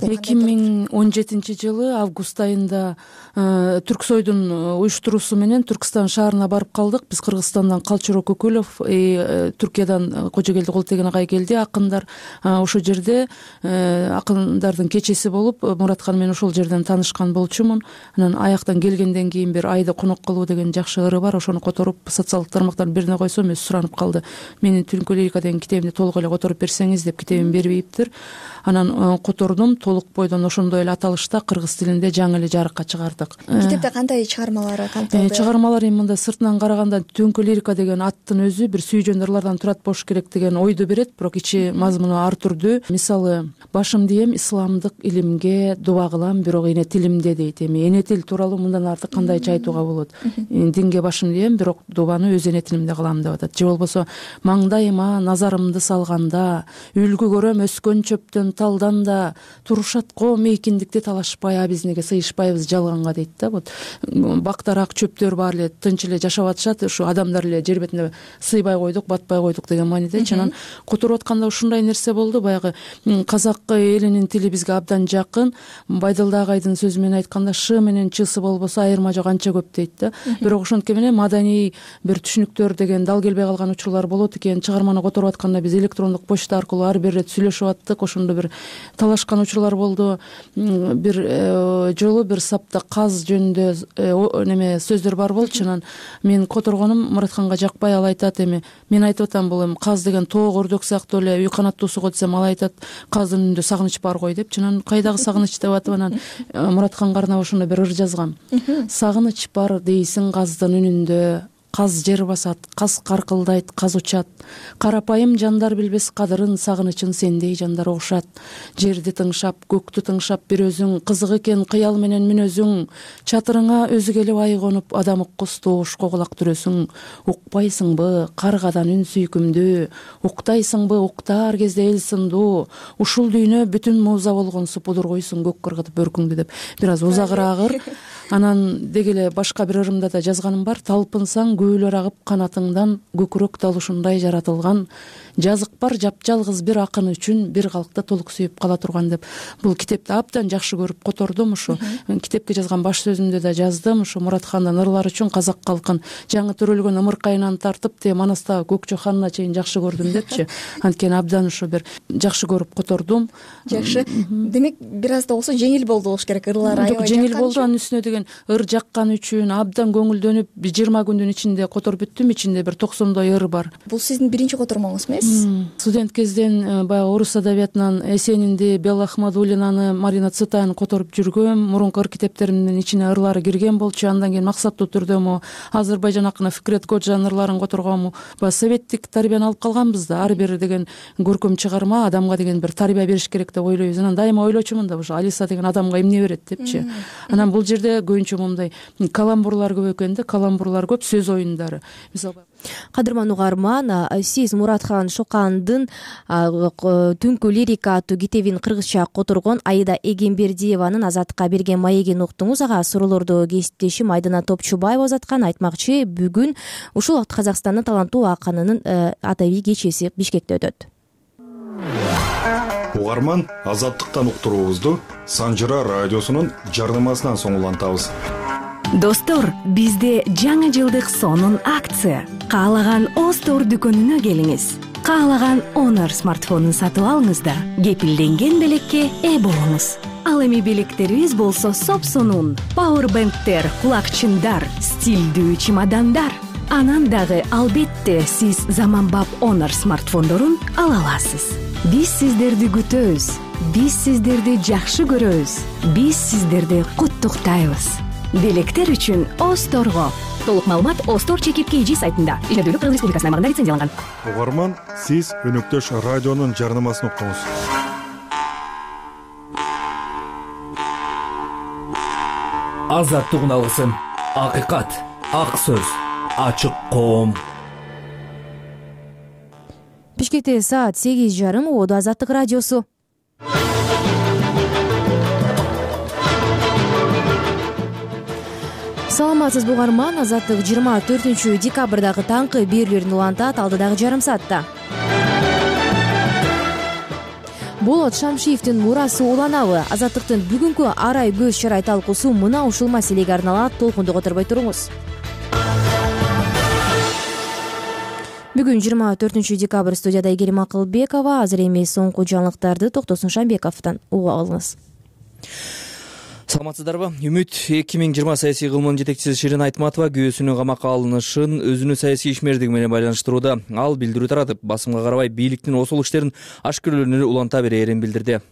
Q: 2017 жылы август айында Түрксойдун уюштуруусу менен Түркстан шаарына барып калдык. Биз Кыргызстандан Калчоро Көкөлов, Түркиядан Кожогелди Колтеген агай келди, акындар. Ошол жерде акындардын кечеси болуп, Муратхан менен ошол жерден таанышкан болчумун. Анан аяктан келгенден кийин бир айда конок кылуу деген жакшы ыры бар. Ошону которуп социалдык тармактан бирине койсом, өзү суранып калды. Менин Түнкү лирика деген китебимди толук эле которуп берсеңиз деп, китебин бербейиптир. Анан котордум. Толук бойдон ошондой эле аталышта кыргыз тилинде жаңы эле жарыкка чыгардык.
P: Китепте кандай чыгармалары камтылды?
Q: Чыгармалар эми мында сыртынан караганда Түнкү лирика деген аттын өзү бир сүйжөн ырлардан турат болуш керек деген ойду берет, бирок ичи мазмуну ар түрдүү. Мисалы, башым дийем исламдык илимге дуба кылам, бирок эне тилимде дейт. Эми эне тил тууралуу мындан артык кандайча айтууга болот? Динге башым дийем, бирок дубаны өз эне тилимде кылам деп атат. Же болбосо маңдайыма назарымды салганда, үлгү көрөм өскөн чөптөн талдан да, турушат коом эркиндикти талашпай, а биз неге сыйышпайбыз жалганга дейт да. Вот бактарак чөптөр баары эле тынч эле жашап атышат, ушу адамдар эле жер бетине сыйбай койдук, батпай койдук деген мааниде. Анан которуп атканда ушундай нерсе болду. Баягы казак элинин тили бизге абдан жакын. Байдалды агайдын сөзү менен айтканда, ш менен чсы болбосо айырма жок анча көп дейт да. Бирок ошонтке менен маданий бир түшүнүктөр деген дал келбей калган учурлар болот экен. Чыгарманы которуп атканда биз электрондук почта аркылуу ар бир ирет сүйлөшүп аттык. Ошондо бир талашкан учурлар болду. Бир жолу бир сапта каз жөнүндө неме сөздөр бар болчу. Анан мен которгонум Муратханга жакпай, ал айтат, эми мен айтып атам, бул эми каз деген тоок өрдөк сыяктуу эле үй канаттуусу го десем, ал айтат каздын үнүндө сагыныч бар го деп. Анан кайдагы сагыныч деп атып, анан Муратханга арнап ошондо бир ыр жазгам. Сагыныч бар дейсиң каздын үнүндө, каз жер басат, каз каркылдайт, каз учат. Карапайым жандар билбес кадырын, сагынычын сендей жандар угушат. Жерди тыңшап, көктү тыңшап бир өзүң, кызык экен кыял менен мүнөзүң. Чатырыңа өзгеле бай конуп, адам уккус тоошко кулак түрөсүң. Укпайсыңбы каргадан үн сүйкүмдүү, уктайсыңбы уктаар кезде эл сындуу. Ушул дүйнө бүтүн муза болгонсу, пудургуйсуң көк кыргытып бөркүңдү деп. Бир аз узагыраак ыр. Анан дегеле башка бир ырымда да жазганым бар. Талпынсаң көөлөр агып канатыңдан, көкүрөк дал ушундай жаратылган. Жазык бар жапжалгыз бир акын үчүн, бир калкта толук сүйүп кала турган деп. Бул китепти абдан жакшы көрүп котордум. Ушу китепке жазган баш сөзүмдө да жаздым. Ушу Муратхандын ырлары үчүн казак калкын жаңы төрөлгөн ымыркайынан тартып те Манастагы Көкчө ханына чейин жакшы көрдүм депчи. Анткени абдан ушу бир жакшы көрүп котордум.
P: Жакшы. Демек бир аз да болсо жеңил болду болуш керек ырлары.
Q: Жеңил болду. Анын үстүнө деген ыр жаккан үчүн абдан көңүлдөнүп 20 күндүн ичинде которуп бүттүм. Ичинде бир 90 ыр бар.
P: Бул сиздин биринчи котормоңуз эмес?
Q: Студент кезден баягы орус адабиятынан Эсенинди, Белла Ахмадуллинаны, Марина Цветаеваны которуп жүргөм. Мурунку ыр китептеримдин ичине ырлары кирген болчу. Андан кийин максаттуу түрдө Азербайжан акыны Фикрет Коджанын ырларын которгом. Советтик тарбияны алып калганбыз да. Ар бир деген көркөм чыгарма адамга деген бир тарбия бериш керек деп ойлойбуз. Анан дайыма ойлочумун да, ушу Алиса деген адамга эмне берет депчи. Анан бул жерде көбүнчө мындай каламбурлар көп экен да, каламбурлар көп, сөз оюндары. Мисалы
A: Кадырман угарман, сиз Муратхан Шокандын Түнкү лирика аттуу китебин кыргызча которгон Аида Эгембердиеванын Азаттыкка берген маегин уктуңуз. Ага суроолорду кесиптешим Айдана Топчубаева узаткан. Айтмакчы, бүгүн ушул убакыт Казакстандын таланттуу акынынын адабий кечеси Бишкекте өтөт.
R: Угарман, Азаттыктан уктуруубузду Санжыра радиосунун жарнамасынан соң улантабыз.
S: Достор, бизде жаңы жылдык сонун акция. Каалаган Остор дүкөнүнө келиңиз. Каалаган Honor смартфонун сатып алыңыз да кепилденген белекке ээ болуңуз. Ал эми белектерибиз болсо сопсонун. Powerbanktер, кулакчындар, стилдүү чемодандар. Анан дагы албетте сиз заманбап Honor смартфондорун ала аласыз. Биз сиздерди күтөбүз. Биз сиздерди жакшы көрөбүз. Биз сиздерди куттуктайбыз. Белектер үчүн Осторго. Толук маалымат Остор чекип KG сайтында. Ишмердүүлүк Кыргыз Республикасынын аймагында лицензияланган.
R: Угарман, сиз өнөктөш радионун жарнамасын уктуңуз.
T: Азаттыгын алгысың. Акыйкат, ак сөз, ачык коом.
A: Бишкекте саат 8:30 Оодо Азаттык радиосу. Саламатсыз угарман, Азаттык 24 декабрдагы таңкы берүүлөрүн улантат алдыдагы жарым саатта. Болот Шамшиевдин мурасы уланабы? Азаттыктын бүгүнкү арай көз чарай талкуусу мына ушул маселеге арналат. Толкунду которбой туруңуз. Бүгүн 24 декабрь студияда Айгерим Акылбекова. Азыр эми соңку жаңылыктарды Токтосун Шамбековдон угуп алыңыз.
C: Саламатсыздарбы? Үмүт 2020 саясий кылмынын жетекчиси Ширин Айтматова күйөөсүнүн камакка алынышын өзүнүн саясий ишмердиги менен байланыштырууда. Ал билдирүү таратып, басымга карабай бийликтин осул иштерин ашкерлөөнү уланта берээрин билдирди.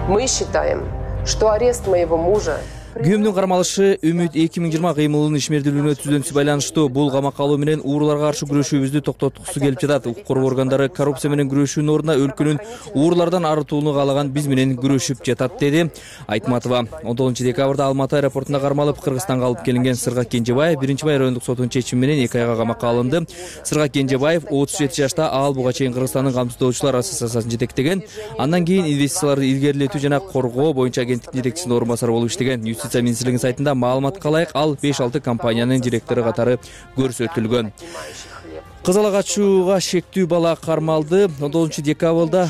B: Мы считаем, что арест моего мужа...
C: Күйөөмдүн кармалышы Үмүт 2020 кыймылынын ишмердүүлүгүнө түздөнүсү байланыштуу. Бул камакка алуу менен ууруларга каршы күрөшүүбүздү токтоткусу келип жатат. Укук коргоо органдары коррупция менен күрөшүүнүн ордуна өлкөнүн уурлардан арылтууну каалаган биз менен күрөшүп жатат, деди Айтматова. 19 декабрда Алматы аэропортунда кармалып, Кыргызстанга алып келинген Сыргак Кенжебаев 1-бай райондук сотунун чечими менен 2 айга камакка алынды. Сыргак Кенжебаев 37 жашта, ал буга чейин Кыргызстандын камсыздоочулар ассоциациясын жетектеген. Андан кийин инвестицияларды илгерилетүү жана коргоо боюнча агенттиктин жетекчисинин орун басары болуп иштеген. Юстиция министрлигинин сайтында маалыматка ылайык, ал 5-6 компаниянын директору катары көрсөтүлгөн. Кызыл агачууга шектүү бала кармалды. 19 декабрда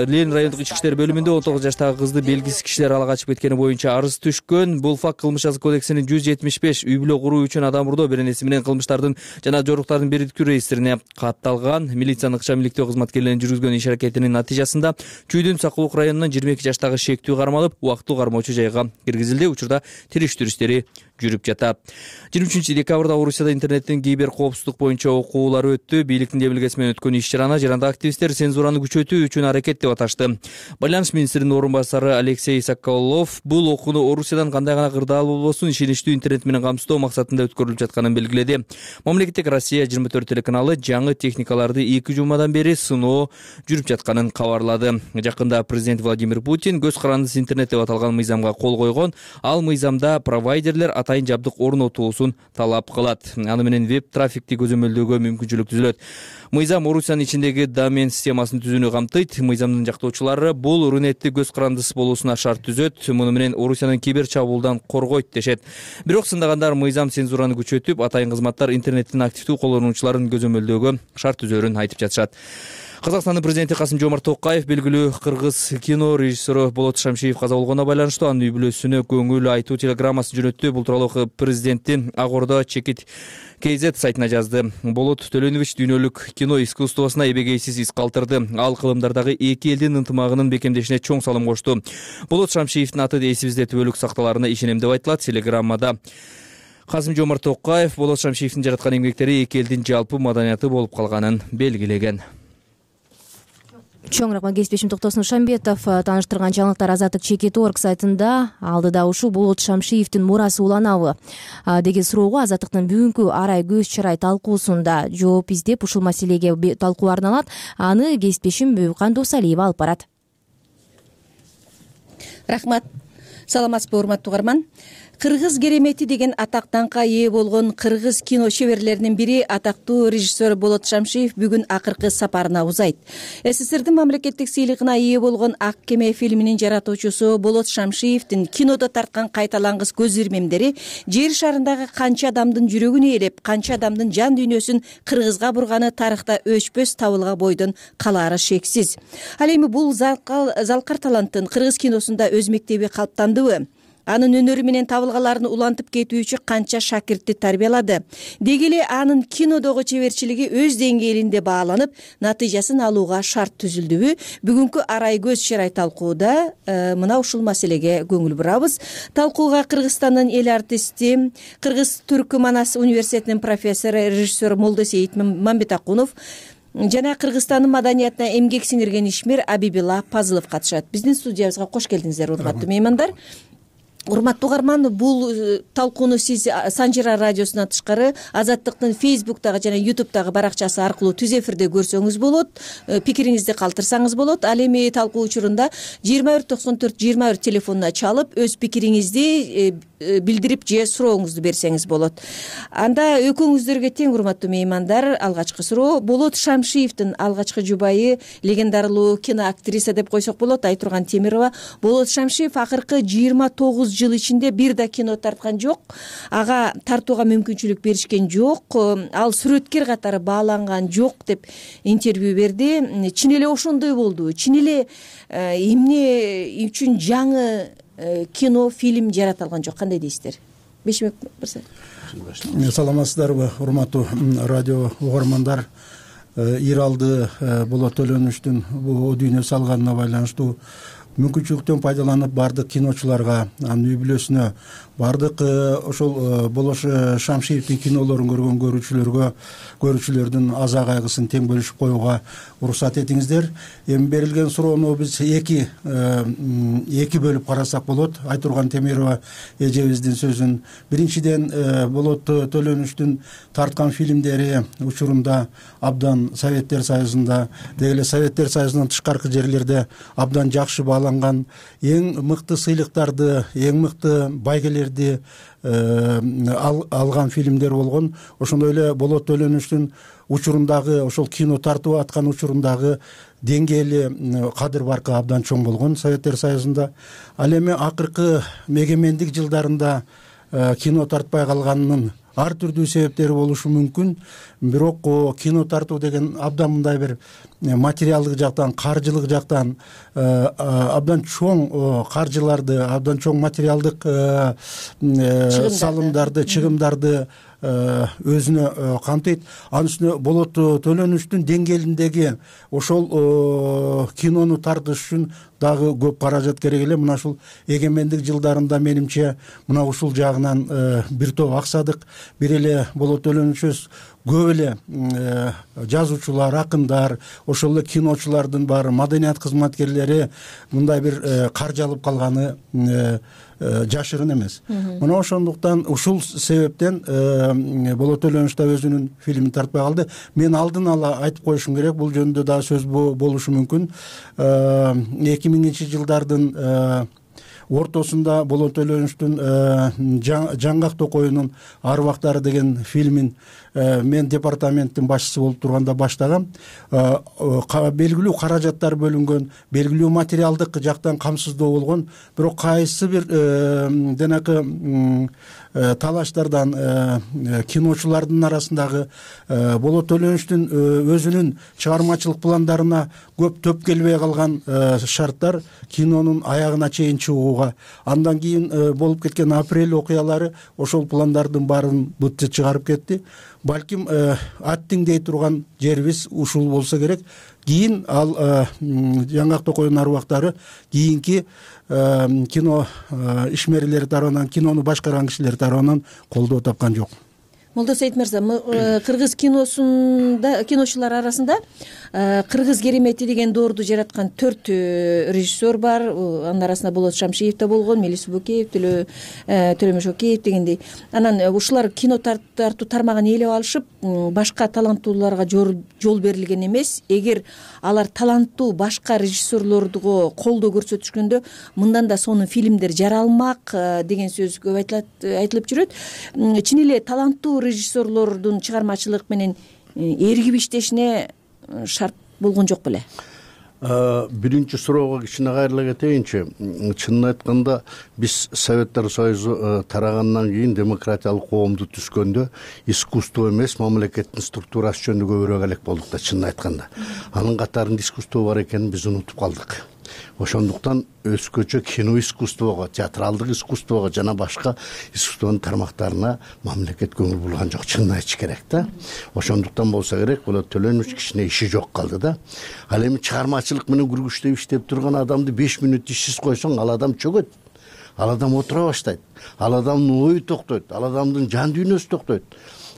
C: Ленин райондук ички иштер бөлүмүндө 19 жаштагы кызды белгисиз кишилер ала качып кеткени боюнча арыз түшкөн. Бул факт Кылмыш жазык кодексинин 175 үй бүлө куруу үчүн адам урдоо беренеси менен кылмыштардын жана жоруктардын бирдиктүү реестрине катталган. Милициянын ыкчам иликтөө кызматкерлеринин жүргүзгөн иш аракетинин натыйжасында Чүйдүн Сакулук районунан 22 жаштагы шектүү кармалып, убактылуу кармоочу жайга киргизилди. Учурда териштирүү иштери жүрүп жатат. 23 декабрда Орусияда интернеттин кибер коопсуздук боюнча окуулар өттү. Бийликтин жебилгеси менен өткөн иш-чараны жаранда активисттер цензураны күчөтүү үчүн аракет деп аташты. Байланыш министринин орун басары Алексей Соколов бул окууну Орусиядан кандай гана кырдаал болбосун ишеничтүү интернет менен камсыздоо максатында өткөрүлүп жатканын белгиледи. Мамлекеттик Россия 24 телеканалы жаңы техникаларды 2 жумадан бери сыноо жүрүп жатканын кабарлады. Жакында президент Владимир Путин көз карандысыз интернет деп аталган мыйзамга кол койгон. Ал мыйзамда провайдерлер атайын жабдык орнотуусун талап кылат. Аны менен веб трафикти көзөмөлдөөгө мүмкүнчүлүк түзүлөт. Мыйзам Орусиянын ичиндеги домен системасын түзүүнү камтыйт. Мыйзамдын жактоочулары бул Рунетти көз карандысыз болуусуна шарт түзөт. Муну менен Орусиянын кибер чабуулдан коргойт дешет. Бирок сындагандар мыйзам цензураны күчөтүп, атайын кызматтар интернеттин активдүү колдонуучуларын көзөмөлдөөгө шарт түзөөрүн айтып жатышат. Казакстандын президенти Касым-Жомарт Токаев белгилүү кыргыз кино режиссеру Болот Шамшиев каза болгонуна байланыштуу анын үй бүлөсүнө көңүл айтуу телеграммасын жөнөттү. Бул тууралуу президенттин Ак Ордо Чекит KZ сайтына жазды. Болот Төлөнөвич дүйнөлүк кино искусствосуна эбегейсиз из калтырды. Ал кылымдардагы эки элдин ынтымагынын бекемдешине чоң салым кошту. Болот Шамшиевдин аты эсибизде түбөлүк сакталарына ишенем деп айтылат телеграммада. Касым-Жомарт Токаев Болот Шамшиевдин жараткан эмгектери эки элдин жалпы маданияты болуп калганын белгилеген.
A: Чоң рахмат кесиптешим Токтосун Шамбетов тааныштырган жаңылыктар Азаттык Чекит.org сайтында. Алдыда ушул Болот Шамшиевдин мурасы уланабы деген суроого Азаттыктын бүгүнкү арай көз чарай талкуусунда жооп издеп ушул маселеге талкуу арналат. Аны кесиптешим Бүйкан Досалиева алып барат.
U: Рахмат. Саламатсызбы урматтуу угарман. Кыргыз керемети деген атактанга ээ болгон кыргыз кино шеберлеринин бири атактуу режиссер Болот Шамшиев бүгүн акыркы сапарына узайт. СССРдин мамлекеттик сыйлыгына ээ болгон Ак кеме фильминин жаратуучусу Болот Шамшиевдин кинодо тарткан кайталангыс көз ирмемдери жер шарындагы канча адамдын жүрөгүн ээлеп, канча адамдын жан дүйнөсүн кыргызга бурганы тарыхта өчпөс табылга бойдон калаары шексиз. Ал эми бул залкар таланттын кыргыз киносунда өз мектеби калыптандыбы? анын өнөрү менен табылгаларын улантып кетүүчү канча шакиртти тарбиялады. Деги эле анын кинодогу чеберчилиги өз деңгээлинде бааланып, натыйжасын алууга шарт түзүлдүбү? Бүгүнкү арай көз чырай талкууда мына ушул маселеге көңүл бурабыз. Талкууга Кыргызстандын эл артисти, Кыргыз Түркманас университетинин профессору, режиссер Молдосейит Мамбетакунов жана Кыргызстандын маданиятына эмгек сиңирген ишмер Абибилла Пазылов катышат. Биздин студиябызга кош келдиңиздер, урматтуу меймандар. Урматтуу угарман, бул талкууну сиз Санжира радиосунан тышкары Азаттыктын Фейсбуктагы жана Ютубтагы баракчасы аркылуу түз эфирде көрсөңүз болот, пикириңизди калтырсаңыз болот. Ал эми талкуу учурунда 2194-21 телефонуна чалып, өз пикириңизди билдирип же сурооңузду берсеңиз болот. Анда экөөңүздөргө тең, урматтуу меймандар, алгачкы суроо Болот Шамшиевдин алгачкы жубайы, легендарылуу киноактриса деп койсок болот, Айтурган Темирова. Болот Шамшиев акыркы 29 жыл ичинде бир да кино тарткан жок, ага тартууга мүмкүнчүлүк беришкен жок, ал сүрөткер катары бааланган жок деп интервью берди. Чын эле ошондой болду. Чын эле эмне үчүн жаңы кино, фильм жарата алган жок, кандай дейсиздер? Бешимек мырза.
D: Саламатсыздарбы, урматтуу радио угармандар? Иралды Болот Төлөнүчтүн бул дүйнө салганына байланыштуу мүмкүнчүлүктөн пайдаланып бардык киночуларга, анын үй бүлөсүнө, бардык ошол Болот Шамшиевдин кинолорун көргөн көрүүчүлөрдүн аза кайгысын тең бөлүшүп коюуга уруксат этиңиздер. Эми берилген суроону биз эки бөлүп карасак болот. Айтурган Темирова эжебиздин сөзүн. Биринчиден, Болот Төлөнүчтүн тарткан фильмдери учурунда абдан Советтер Союзунда, деги эле Советтер Союзунан тышкаркы жерлерде абдан жакшы бааланган, эң мыкты сыйлыктарды, эң мыкты байгелерди алган фильмдер болгон. Ошондой эле Болот Төлөнүчтүн учурундагы, ошол кино тартып аткан учурундагы деңгээли кадыр баркы абдан чоң болгон Советтер Союзунда. Ал эми акыркы эгемендик жылдарында кино тартпай калганынын ар түрдүү себептери болушу мүмкүн. Бирок кино тартуу деген абдан мындай бир материалдык жактан, каржылык жактан абдан чоң каржыларды, абдан чоң материалдык салымдарды, чыгымдарды өзүнө камтыйт. Анын үстүнө Болот Төлөнүчтүн деңгээлиндеги ошол кинону тартыш үчүн дагы көп каражат керек эле. Мына ушул эгемендик жылдарында менимче мына ушул жагынан бир топ аксадык. Бир эле Болот Төлөнүчөбүз көп эле жазуучулар, акындар, ошол эле киночулардын баары, маданият кызматкерлери мындай бир каржы алып калганы жашырын эмес. Мына ошондуктан ушул себептен Болот Төлөнүч да өзүнүн фильмин тартпай калды. Мен алдын ала айтып коюшум керек, бул жөнүндө дагы сөз болушу мүмкүн. 2000-жылдардын ортосунда Болот Төлөнүчтүн Жаңгак Токоюнун Арбактары деген фильмин мен департаменттин башчысы болуп турганда баштагам. Белгилүү каражаттар бөлүнгөн, белгилүү материалдык жактан камсыздоо болгон, бирок кайсы бир денакы талаштардан киночулардын арасындагы Болот Төлөнүчтүн өзүнүн чыгармачылык пландарына көп төп келбей калган шарттар кинонун аягына чейин чыгууга, андан кийин болуп кеткен апрель окуялары ошол пландардын баарын бытты чыгарып кетти. Балким аттиңдей турган жерибиз ушул болсо керек. Кийин ал Жаңгак Токоюнун Арбактары кийинки кино ишмерлери тарабынан, кинону башкарган кишилер тарабынан колдоо тапкан жок.
U: Молдосейит мырза, кыргыз киночулар арасында Кыргыз керемети деген доорду жараткан 4 режиссер бар. Анын арасында Болот Шамшиев да болгон, Мелис Букеев, Төлөмөш Океев дегендей. Анан ушулар кино тартуу тармагын ээлеп алышып, башка таланттууларга жол берилген эмес. Эгер алар таланттуу башка режиссерлорго колдоо көрсөтүшкөндө, мындан да сонун фильмдер жаралмак деген сөз көп айтылып жүрөт. Чын эле таланттуу режиссерлордун чыгармачылык менен эргип иштешине шарт болгон жок беле?
V: Биринчи суроого кичине кайрыла кетейинчи. Чынын айтканда, биз Советтер Союзу тарагандан кийин демократиялык коомду түзгөндө искусство эмес, мамлекеттин структурасы жөнүндө көбүрөөк элек болдук да, чынын айтканда. Анын катарында искусство бар экенин биз унутуп калдык. ошондуктан өзгөчө кино искусствого, театралдык искусствого жана башка искусствонун тармактарына мамлекет көңүл бурган жок, чынын айтыш керек да. Ошондуктан болсо керек, Болот Төлөнович кичине иши жок калды да. Ал эми чыгармачылык менен күргүчтөп иштеп турган адамды 5 мүнөт ишсиз койсоң, ал адам чөгөт. Ал адам отура баштайт. Ал адамдын ою токтойт, ал адамдын жан дүйнөсү токтойт.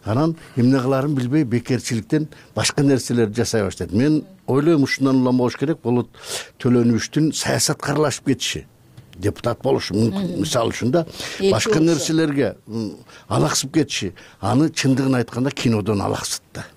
V: Анан эмне кыларын билбей бекерчиликтен башка нерселерди жасай баштайт. Мен ойлойм ушундан улам болуш керек, Болот Төлөновичтин саясатка аралашып кетиши. Депутат болушу мүмкүн, мисалы үчүн да, башка нерселерге алаксып кетиши, аны чындыгын айтканда кинодон алаксытты.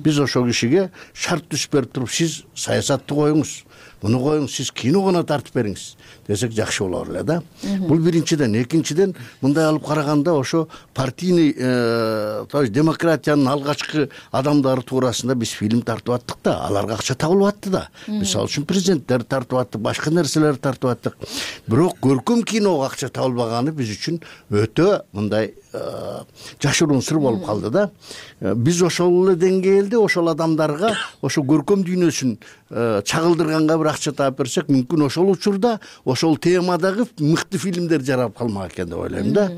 V: Биз ошол кишиге шарт түзүп берип туруп, сиз саясатты коюңуз, муну коюңуз, сиз кино гана тартып бериңиз десек жакшы болор эле да. Бул биринчиден. Экинчиден, мындай алып караганда ошо партийный, то есть демократиянын алгачкы адамдары туурасында биз фильм тартып аттык да, аларга акча табылып атты да. Мисалы үчүн президенттер тартып аттык, башка нерселерди тартып аттык. Бирок көркөм киного акча табылбаганы биз үчүн өтө мындай жашыруун сыр болуп калды да. Биз ошол эле деңгээлде ошол адамдарга ошо көркөм дүйнөсүн чагылдырганга бир акча таап берсек, мүмкүн ошол учурда ошол темадагы мыкты фильмдер жарап калмак экен деп ойлойм да.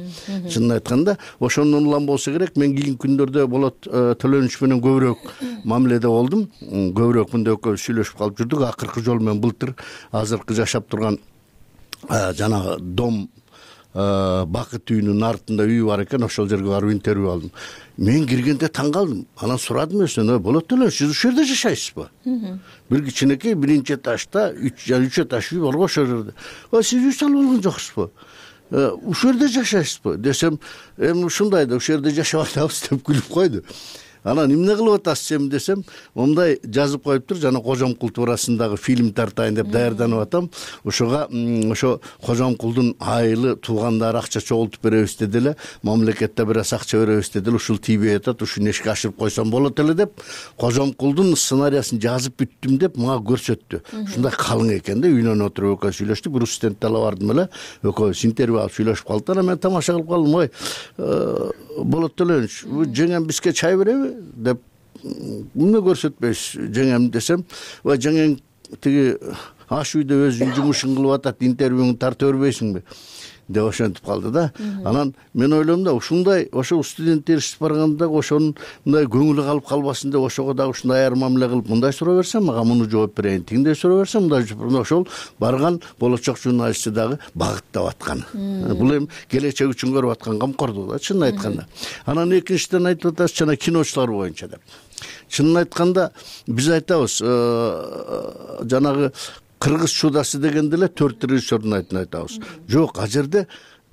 V: Чынын айтканда, ошондон улам болсо керек, мен кийинки күндөрдө Болот Төлөнович менен көбүрөөк мамиледе болдум. Көбүрөөк мындай экөөбүз сүйлөшүп калып жүрдүк. Акыркы жолу мен былтыр азыркы жашап турган жанагы дом Бакыт үйүнүн артында үй бар экен, ошол жерге барып интервью алдым. Мен киргенде таң калдым. Анан сурадым өзүнөн, Болот Төлөнович, сиз ушул жерде жашайсызбы? Бир кичинекей биринчи этажда 3 этаж үй бар го ошол жерде. Сиз үй салып алган жоксузбу? Ушул жерде жашайсызбы десем, эми ушундай да, ушул жерде жашап атабыз деп күлүп койду. Анан эмне кылып атасыз эми десем, мындай жазып коюптур, жана Кожомкул туурасындагы фильм тартайын деп даярданып атам. Ошого ошо Кожомкулдун айылы туугандары акча чогултуп беребиз деди эле, мамлекетте бир аз акча беребиз деди эле, ушул тийбей атат, ушуну ишке ашырып койсом болот эле деп Кожомкулдун сценарийин жазып бүттүм деп мага көрсөттү. Ушундай калың экен да, үйүнөн отуруп экөөбүз сүйлөштүк, бир студентти ала бардым эле, экөөбүз интервью алып сүйлөшүп калдык. Анан мен тамаша кылып калдым, ой, Болот Төлөнович, жеңем бизге чай береби деп эмне көрсөтпөйсүз жеңем десем, ой, жеңең тиги аш үйдө өзүнүн жумушун кылып атат, интервьюңду тарта бербейсиңби деп ошентип калды да. Анан мен ойлойм да, ушундай ошо студент еришип барганда ошонун мындай көңүлү калып калбасын деп, ошого дагы ушундай айыр мамиле кылып, мындай суроо берсем мага муну жооп берейин, тигиндей суроо берсем мындай жооп, ошол барган болочок журналистти дагы багыттап аткан. Бул эми келечек үчүн көрүп аткан камкордук да, чынын айтканда. Анан экинчиден айтып атасыз, жана киночулар боюнча деп. Чынын айтканда биз айтабыз, жанагы кыргыз чудасы дегенде эле 4 режиссердун айтабыз. Жок, ал жерде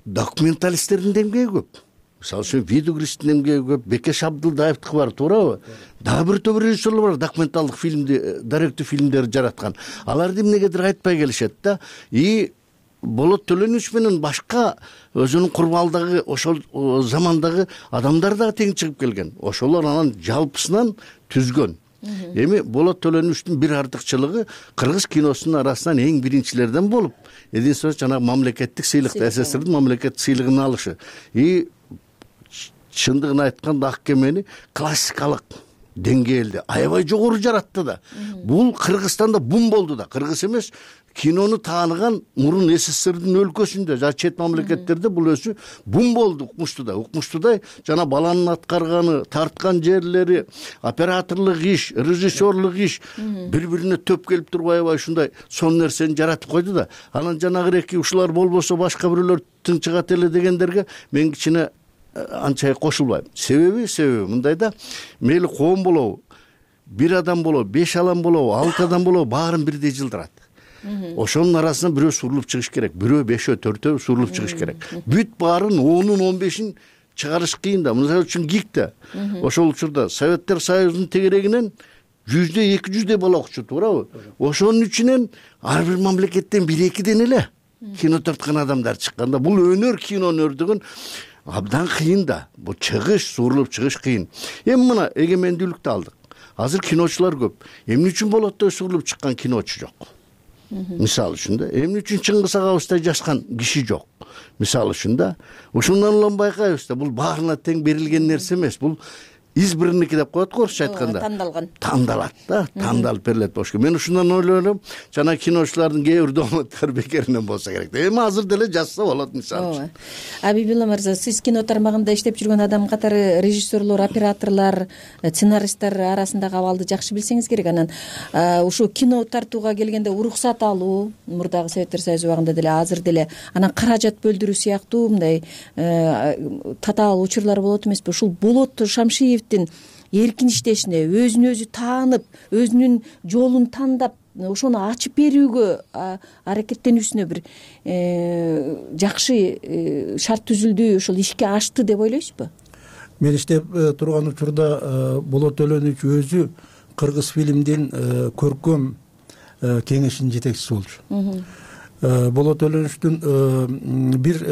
V: документалисттердин демгеги көп. Мисалы үчүн Видугристин демгеги көп, Бекеш Абдылдаевдики бар, туурабы? Дагы бир топ режиссерлор бар, документалдык фильмди, даректүү фильмдерди жараткан. Аларды эмнегедир айтпай келишет да. И Болот Төлөнович менен башка өзүнүн курмалдагы ошол замандагы адамдар дагы тең чыгып келген. Ошолор анан жалпысынан түзгөн. Эми Болот Төлөновичтин бир артыкчылыгы кыргыз киносунун арасынан эң биринчилерден болуп, единственно жанагы мамлекеттик сыйлыкты, СССРдин мамлекеттик сыйлыгын алышы. И чындыгын айтканда Ак кемени классикалык деңгээлде аябай жогору жаратты да. Бул Кыргызстанда бум болду да. Кыргыз эмес, кинону тааныган мурун СССРдин өлкөсүндө, жана чет мамлекеттерде бул өзү бум болду Укмуштуудай. Укмуштуудай жана баланын аткарганы, тарткан жерлери, операторлук иш, режиссерлук иш бири-бирине төп келип туруп аябай ушундай сон нерсени жаратып койду да. Анан жанагыреки ушулар болбосо башка бирөөлөр тынчыгат эле дегендерге мен кичине анча кошулбайм. Себеби мындай да, мейли коом болобу, бир адам болобу, 5 адам болобу, 6 адам болобу, баарын бирдей жылдырат. Ошонун арасынан бирөө сурулуп чыгыш керек, бирөө 5-өө 4-өө сурулуп чыгыш керек. Бүт баарын 10-ун 15-ин чыгарыш кыйын да. Мисалы үчүн ГИКте ошол учурда Советтер Союзунун тегерегинен 100-200 бала окучу, туурабы? Ошонун үчүнөн ар бир мамлекеттен 1-2ден эле кино тарткан адамдар чыкканда, бул өнөр, кино өнөрдүгүн абдан кыйын да. Бул чыгыш, сурулуп чыгыш кыйын. Эми мына эгемендүүлүктү алдык. Азыр киночулар көп. Эмне үчүн Болоттой сурулуп чыккан киночу жок? Мисалы үчүн да, эмне үчүн Чыңгыз агабыздай жашкан киши жок? Мисалы үчүн да, ушундан улам байкайбыз да, бул баарына тең берилген нерсе эмес. Бул избранники деп коет го орусча айтканда, тандалат да, тандалып берилет болуш керек. Мен ушундан ойлойм, жана киночулардын кээ бир дооматтары бекеринен болсо керек. Эми азыр деле жазса болот мисалы.
U: Абибилла мырза, сиз кино тармагында иштеп жүргөн адам катары режиссерлор, операторлор, сценаристтер арасындагы абалды жакшы билсеңиз керек. Анан ушу кино тартууга келгенде уруксат алуу, мурдагы Советтер Союзу убагында деле, азыр деле, анан каражат бөлдүрүү сыяктуу мындай татаал учурлар болот эмеспи? Ушул Болот Шамшиевдин эркин иштешине, өзүн өзү таанып, өзүнүн жолун тандап, ошону ачып берүүгө аракеттенүүсүнө бир жакшы шарт түзүлдү, ошол ишке ашты деп ойлойсузбу?
D: Мен иштеп турган учурда Болот Төлөнүч өзү кыргыз фильмдин көркөм кеңешинин жетекчиси болчу. Болот Төлөнүчтүн бир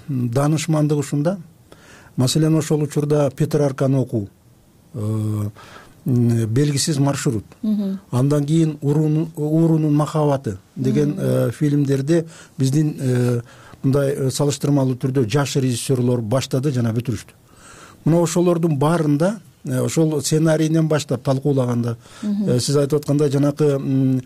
D: данышмандыгы ушунда. Маселен, ошол учурда Петрарканы окуу, белгисиз маршрут, андан кийин Уурунун махабаты деген фильмдерди биздин мындай салыштырмалуу түрдө жаш режиссерлор баштады жана бүтүрүштү. Мына ошолордун баарында, ошол сценарийинен баштап талкуулаганда, сиз айтып аткандай жанакы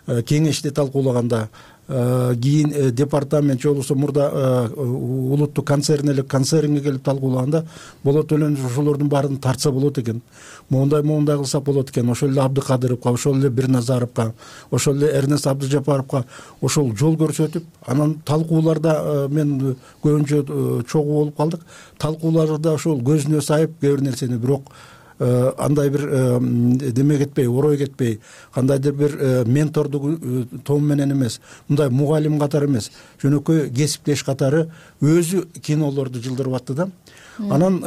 D: кеңешти талкуулаганда, кийин департамент же болбосо мурда улуттук концернелик концернге келип талкуулаганда, Болот Төлөнүч ошолордун баарын тартса болот экен, моундай кылсак болот экен, ошол эле Абдыкадыровго, ошол эле Бирназаровго, ошол эле Эрнест Абдыжапаровго ошол жол көрсөтүп, анан талкууларда мен көбүнчө чогуу болуп калдык. Талкууларда ошол көзүнө сайып кээ бир нерсени, бирок андай бир деме кетпей, орой кетпей, кандайдыр бир ментордук том менен эмес, мындай мугалим катары эмес, жөнөкөй кесиптеш катары өзү кинолорду жылдырып атты да. Анан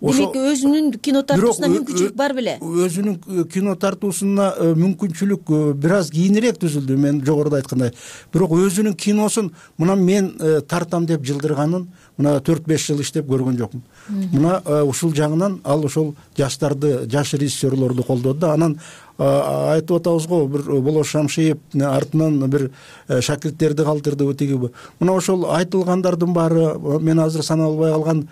U: демек өзүнүн кино тартуусуна мүмкүнчүлүк бар беле?
D: Өзүнүн кино тартуусуна мүмкүнчүлүк бир аз кийинирээк түзүлдү, мен жогоруда айткандай. Бирок өзүнүн киносун мына мен тартам деп жылдырганын мына 4-5 жыл иштеп көргөн жокмун. Мына ушул жагынан ал ошол жаштарды, жаш режиссерлорду колдоду да. Анан айтып атабыз го, бир Болот Шамшиев артынан бир шакирттерди калтырды тиги. Мына ошол айтылгандардын баары, мен азыр санап албай калган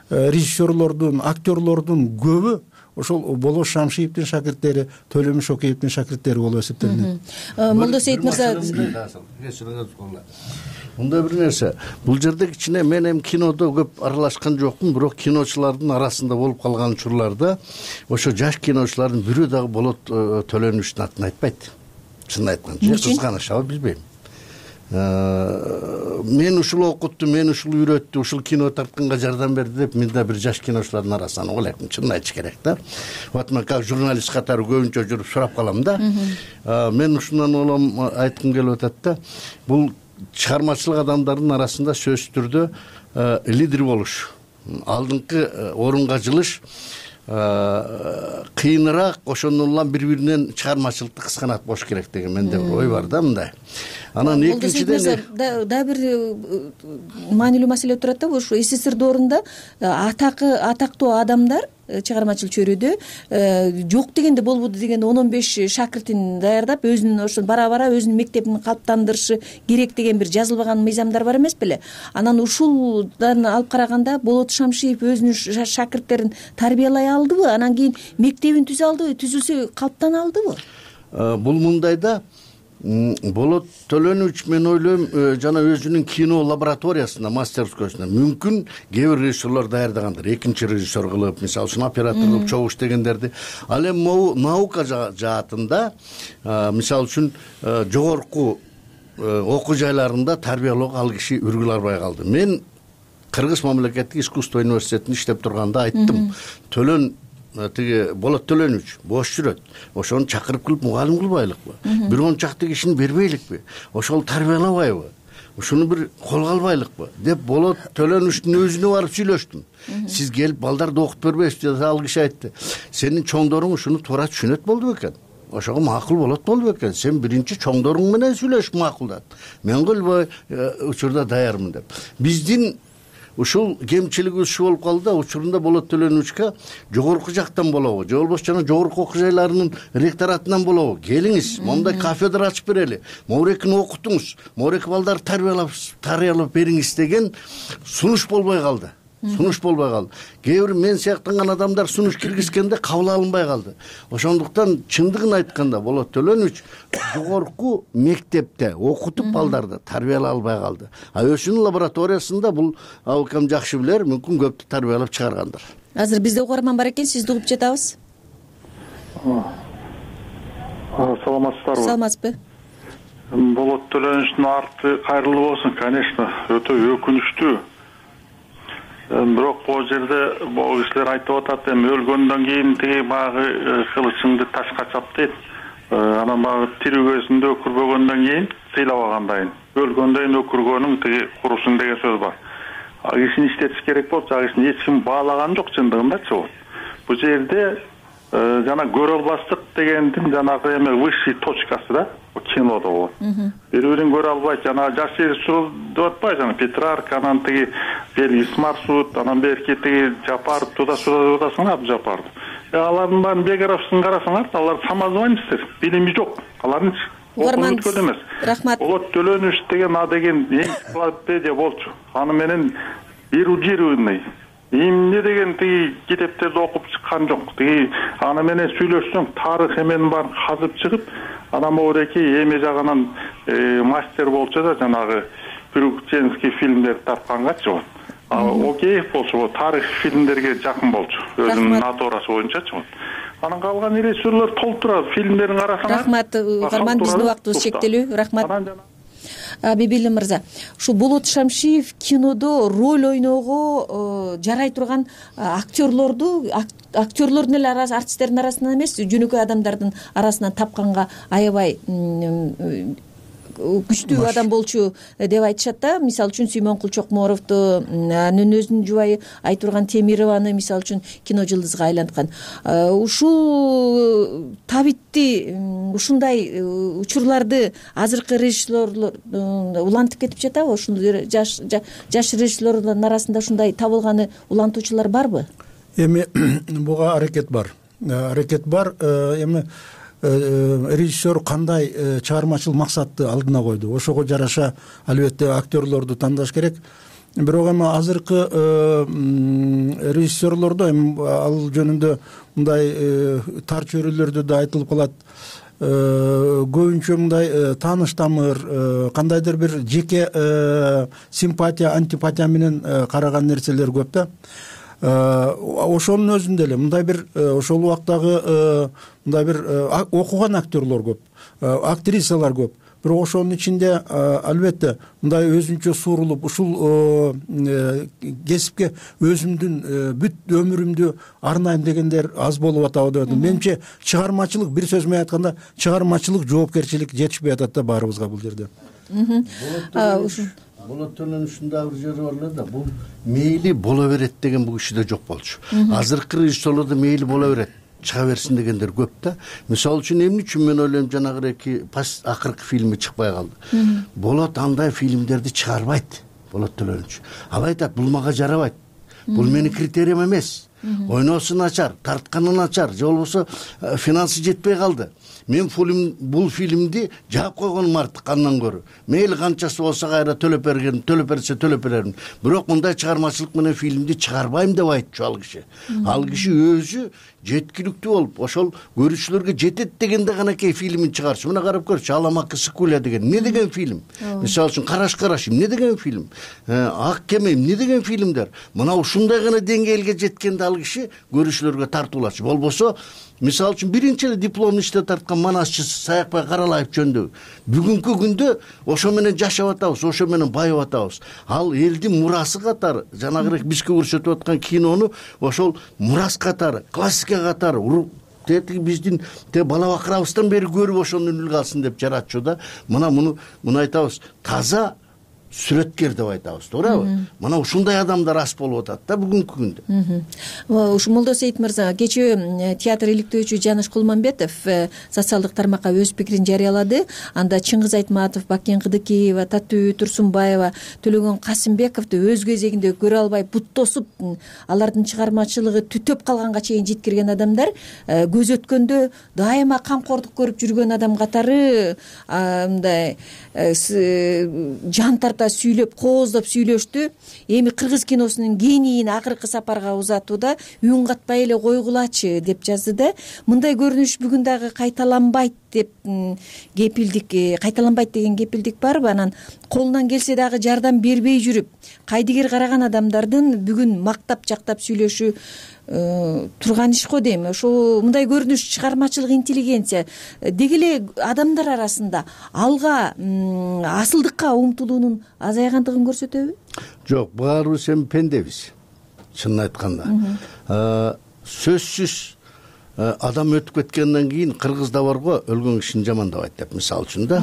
D: режиссерлордун, актерлордун көбү ошол Болот Шамшиевдин шакирттери, Төлөмүш Шокеевдин шакирттери болуп эсептелинет.
U: Молдосейит мырза,
V: мындай бир нерсе, бул жерде кичине мен эми кинодо көп аралашкан жокмун, бирок киночулардын арасында болуп калган учурларда ошо жаш киночулардын бирөө дагы Болот Төлөнүчтүн атын айтпайт. Чынын айтканда, же кызганышабы билбейм. Мен ушул окутту, мен ушул үйрөттү, ушул кино тартканга жардам берди деп мен да бир жаш киночулардын арасынан ойлойм, чынын айтыш керек да. Вот мен как журналист катары көбүнчө жүрүп сурап калам да. Мен ушундан улам айткым келип атат да. Бул чыгармачылык адамдардын арасында сөзсүз түрдө лидер болуш, алдыңкы орунга жылыш кыйыныраак, ошондон улам бири-биринен чыгармачылыкты кысканат болуш керек деген менде бир ой бар да мындай. Анан экинчиден
U: да бир маанилүү маселе турат да, ушу СССР доорунда атактуу адамдар чыгармачыл чөйрөдө жок дегенде болбоду деген 10-15 шакиртин даярдап, өзүнүн ошо бара-бара өзүнүн мектебин калыптандырышы керек деген бир жазылбаган мыйзамдар бар эмес беле? Анан ушулдан алып караганда Болот Шамшиев өзүнүн шакирттерин тарбиялай алдыбы? Анан кийин мектебин түзө алдыбы? Түзүлсө калыптана алдыбы?
V: Бул мындай да, Болот Төлөнүч мен ойлойм жана өзүнүн кино лабораториясында, мастерскосунда мүмкүн кээ бир режиссерлор даярдагандыр, экинчи режиссер кылып, мисалы үчүн оператор кылып чогуу иштегендерди. Ал эми могу наука жаатында, мисалы үчүн жогорку окуу жайларында тарбиялоого ал киши үргүл албай калды. Мен Кыргыз мамлекеттик искусство университетинде иштеп турганда айттым, тиги Болот Төлөнүч бош жүрөт, ошону чакырып кылып мугалим кылбайлыкпы, бир он чакты кишини бербейликпи, ошол тарбиялабайбы, ушуну бир колго албайлыкпы деп Болот Төлөнүчтүн өзүнө барып сүйлөштүм. Сиз келип балдарды окуп бербейсизби деп ал киши айтты. Сенин чоңдоруң ушуну туура түшүнөт болду бекен, ошого макул болот болду бекен, сен биринчи чоңдоруң менен сүйлөшүп макулдат, мен кылбай учурда даярмын деп. Биздин ушул кемчилиги ушу болуп калды да, учурунда Болот Төлөнүчкө жогорку жактан болобу, же болбосо жана жогорку окуу жайларынын ректоратынан болобу, келиңиз, мондай кафедра ачып берели, моурекини окутуңуз, моуреки балдарды тарбиялап бериңиз деген сунуш болбой калды. сунуш болбой калды. Кээ бир мен сыяктанган адамдар сунуш киргизгенде кабыл алынбай калды. Ошондуктан чындыгын айтканда Болот Төлөнүч жогорку мектепте окутуп балдарды тарбиялай албай калды. ОШнун лабораториясында бул абыкам жакшы билер, мүмкүн көптү тарбиялап чыгаргандыр.
U: Азыр бизде угарман бар экен, сизди угуп жатабыз.
F: Саламатсыздарбы?
U: Саламатсызбы?
F: Болот Төлөнүчтүн арты кайрылуу болсун, конечно, өтө өкүнүчтүү. Бирок бул жерде бул кишилер айтып атат, эми өлгөндөн кийин тиги баягы кылычыңды ташка чап дейт. Анан баягы тирүүгөсүндө өкүрбөгөндөн кийин сыйлабагандайын. Өлгөндөн кийин өкүргөнүң тиги курусун деген сөз бар. Кишини иштетиш керек болчу, кишини эч ким баалаган жок чындыгындачы. Бул жерде жана көрө албастык дегендин жанагы эме высший точкасы да кинодо болот. Бири-бирин көрө албайт, жана жаш режиссер деп атпайбы, жана Петрарка, анан тиги Белгис Маршрут, анан берки тиги Жапаров, туда-суда атасың, Абдыжапаров. Алардын баарын бегаровсын карасаңар, алар самозванецтер, билими жок. Алардын окуучу эмес.
U: Рахмат.
F: Болот Төлөнүч деген деген энциклопедия болчу. Аны менен эрудированный эмне деген тиги китептерди окуп чыккан жок. Тиги аны менен сүйлөшсөң, тарых эменин баарын казып чыгып, анан могуреки эме жагынан мастер болчу да, жанагы приключенческий фильмдерди тапкангачы. Окей болчу, тарых фильмдерге жакын болчу. Өзүнүн натурасы боюнчачы. Анан калган режиссерлор толтурат фильмдерин карасаңар.
U: Рахмат, угарман, биздин убактыбыз чектелүү. Рахмат. Бибилим мырза, ушу Болот Шамшиев кинодо роль ойноого жарай турган актерлордун эле артисттердин арасынан эмес, жөнөкөй адамдардын арасынан тапканга аябай күчтүү адам болчу деп айтышат да. Мисалы үчүн Сүймөнкул Чокморовду, анын өзүнүн жубайы Айтурган Темированы мисалы үчүн кино жылдызга айланткан. Ушул табитти, ушундай учурларды азыркы режиссерлор улантып кетип жатабы? Ушул жаш режиссерлордун арасында ушундай табылганы улантуучулар барбы?
D: Эми буга аракет бар. Эми режиссер кандай чыгармачыл максатты алдына койду, ошого жараша албетте актерлорду тандаш керек. Бирок эми азыркы режиссерлордо эми ал жөнүндө мындай тар чөйрөлөрдө да айтылып калат. Көбүнчө мындай тааныш тамыр, кандайдыр бир жеке симпатия, антипатия менен караган нерселер көп да. Ошонун өзүндө эле мындай бир ошол убактагы мындай бир окуган актерлор көп, актрисалар көп. Бирок ошонун ичинде албетте мындай өзүнчө суурулуп ушул кесипке өзүмдүн бүт өмүрүмдү арнайм дегендер аз болуп атабы деп атам. Менимче чыгармачылык, бир сөз менен айтканда, чыгармачылык жоопкерчилик жетишпей атат да баарыбызга бул жерде.
V: Болот Төлөнүчтүн дагы бир жери бар эле да, бул мейли боло берет деген бул кишиде жок болчу. Азыркы режиссерлордо мейли боло берет, чыга берсин дегендер көп да. Мисалы үчүн эмне үчүн мен ойлойм, жанагы акыркы фильми чыкпай калды. Болот андай фильмдерди чыгарбайт, Болот Төлөнүч. Ал айтат, бул мага жарабайт. Бул менин критериям эмес. Ойноосу начар, тартканы начар, же болбосо финансы жетпей калды. Мен бул фильмди жаап койгонум артык андан көрө. Мейли канчасы болсо кайра төлөп берсе төлөп берермин. Бирок мындай чыгармачылык менен фильмди чыгарбайм деп айтчу ал киши. Ал киши өзү жеткиликтүү болуп, ошол көрүүчүлөргө жетет дегенде гана кей фильмин чыгарчу. Мына карап көрчү, Аламакы Сыкуля деген эмне деген фильм? Мисалы үчүн Караш эмне деген фильм? Ак кеме эмне деген фильмдер? Мына ушундай гана деңгээлге жеткенде ал киши көрүүчүлөргө тартуулачу. Болбосо мисалы үчүн биринчи эле дипломун иште тарткан манасчысы Саякбай Каралаев жөнүндө бүгүнкү күндө ошо менен жашап атабыз, ошо менен байып атабыз. Ал элдин мурасы катары, жанагы бизге көрсөтүп аткан кинону ошол мурас катары, классика катары биздин бала бакырабыздан бери көрүп ошону үлгү алсын деп жаратчу да. Мына муну айтабыз, таза сүрөткер деп айтабыз, туурабы? Мына ушундай адамдар аз болуп атат да бүгүнкү күндө.
U: Ушу Молдосейит мырза, кечээ театр иликтөөчү Жаныш Кулманбетов социалдык тармакка өз пикирин жарыялады. Анда Чыңгыз Айтматов, Бакен Кыдыкиева, Татуу Турсунбаева, Төлөгөн Касымбековду өз кезегинде көрө албай бут тосуп, алардын чыгармачылыгы түтөп калганга чейин жеткирген адамдар көз өткөндө дайыма камкордук көрүп жүргөн адам катары мындай жан тарта сүйлөп, кооздоп сүйлөштү. Эми кыргыз киносунун генийин акыркы сапарга узатууда үн катпай эле койгулачы деп жазды да. Мындай көрүнүш бүгүн дагы кайталанбайт деп кепилдик, кайталанбайт деген кепилдик барбы? Анан колунан келсе дагы жардам бербей жүрүп, кайдыгер караган адамдардын бүгүн мактап жактап сүйлөшү турган иш го дейм. Ошо мындай көрүнүш чыгармачылык интеллигенция деги эле адамдар арасында алга асылдыкка умтулуунун азайгандыгын көрсөтөбү?
V: Жок, баарыбыз эми пендебиз. Чынын айтканда, сөзсүз адам өтүп кеткенден кийин кыргызда барго өлгөн кишини жамандабайт деп, мисалы үчүн да,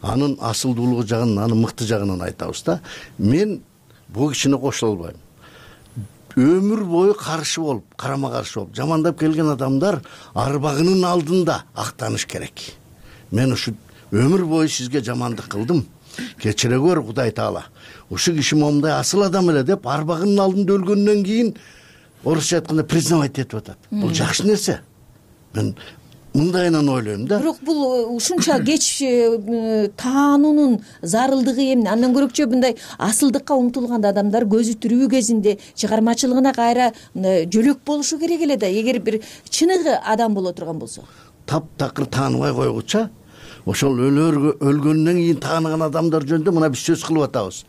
V: анын асылдуулугу жагын, анын мыкты жагынан айтабыз да. Мен бул кишине кошула албайм. Өмүр бою каршы болуп, карама каршы болуп жамандап келген адамдар арбагынын алдында актаныш керек. Мен ушу өмүр бою сизге жамандык кылдым, кечире көр Кудай Таала. Ушу киши момундай асыл адам эле деп арбагынын алдында өлгөндөн кийин орусча айтканда признавать этип атат. Бул жакшы нерсе. Мен мындайынан ойлойм да.
U: Бирок бул ушунча кеч таануунун зарылдыгы эмне? Андан көрөкчө мындай асылдыкка умтулган адамдар көзү тирүү кезинде чыгармачылыгына кайра жөлөк болушу керек эле да, эгер бир чыныгы адам боло турган болсо.
V: Таптакыр тааныбай койгуча, ошол өлгөндөн кийин тааныган адамдар жөнүндө мына биз сөз кылып атабыз.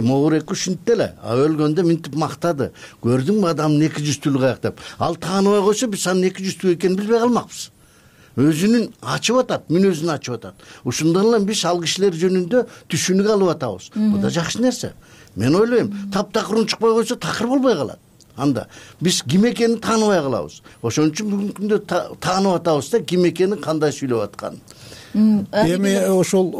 V: Могурек ушинтти эле, өлгөндө минтип мактады. Көрдүңбү адамдын эки жүздүүлүгү каяк деп. Ал тааныбай койсо биз анын эки жүздүү экенин билбей калмакпыз. Өзүнүн ачып атат, мүнөзүн ачып атат. Ушундан эле биз ал кишилер жөнүндө түшүнүк алып атабыз. Бул да жакшы нерсе. Мен ойлойм, таптакыр унчукпай койсо такыр болбой калат. Анда биз ким экенин тааныбай калабыз. Ошон үчүн бүгүнкү күндө таанып атабыз да, ким экенин, кандай сүйлөп атканын.
D: Эми ошол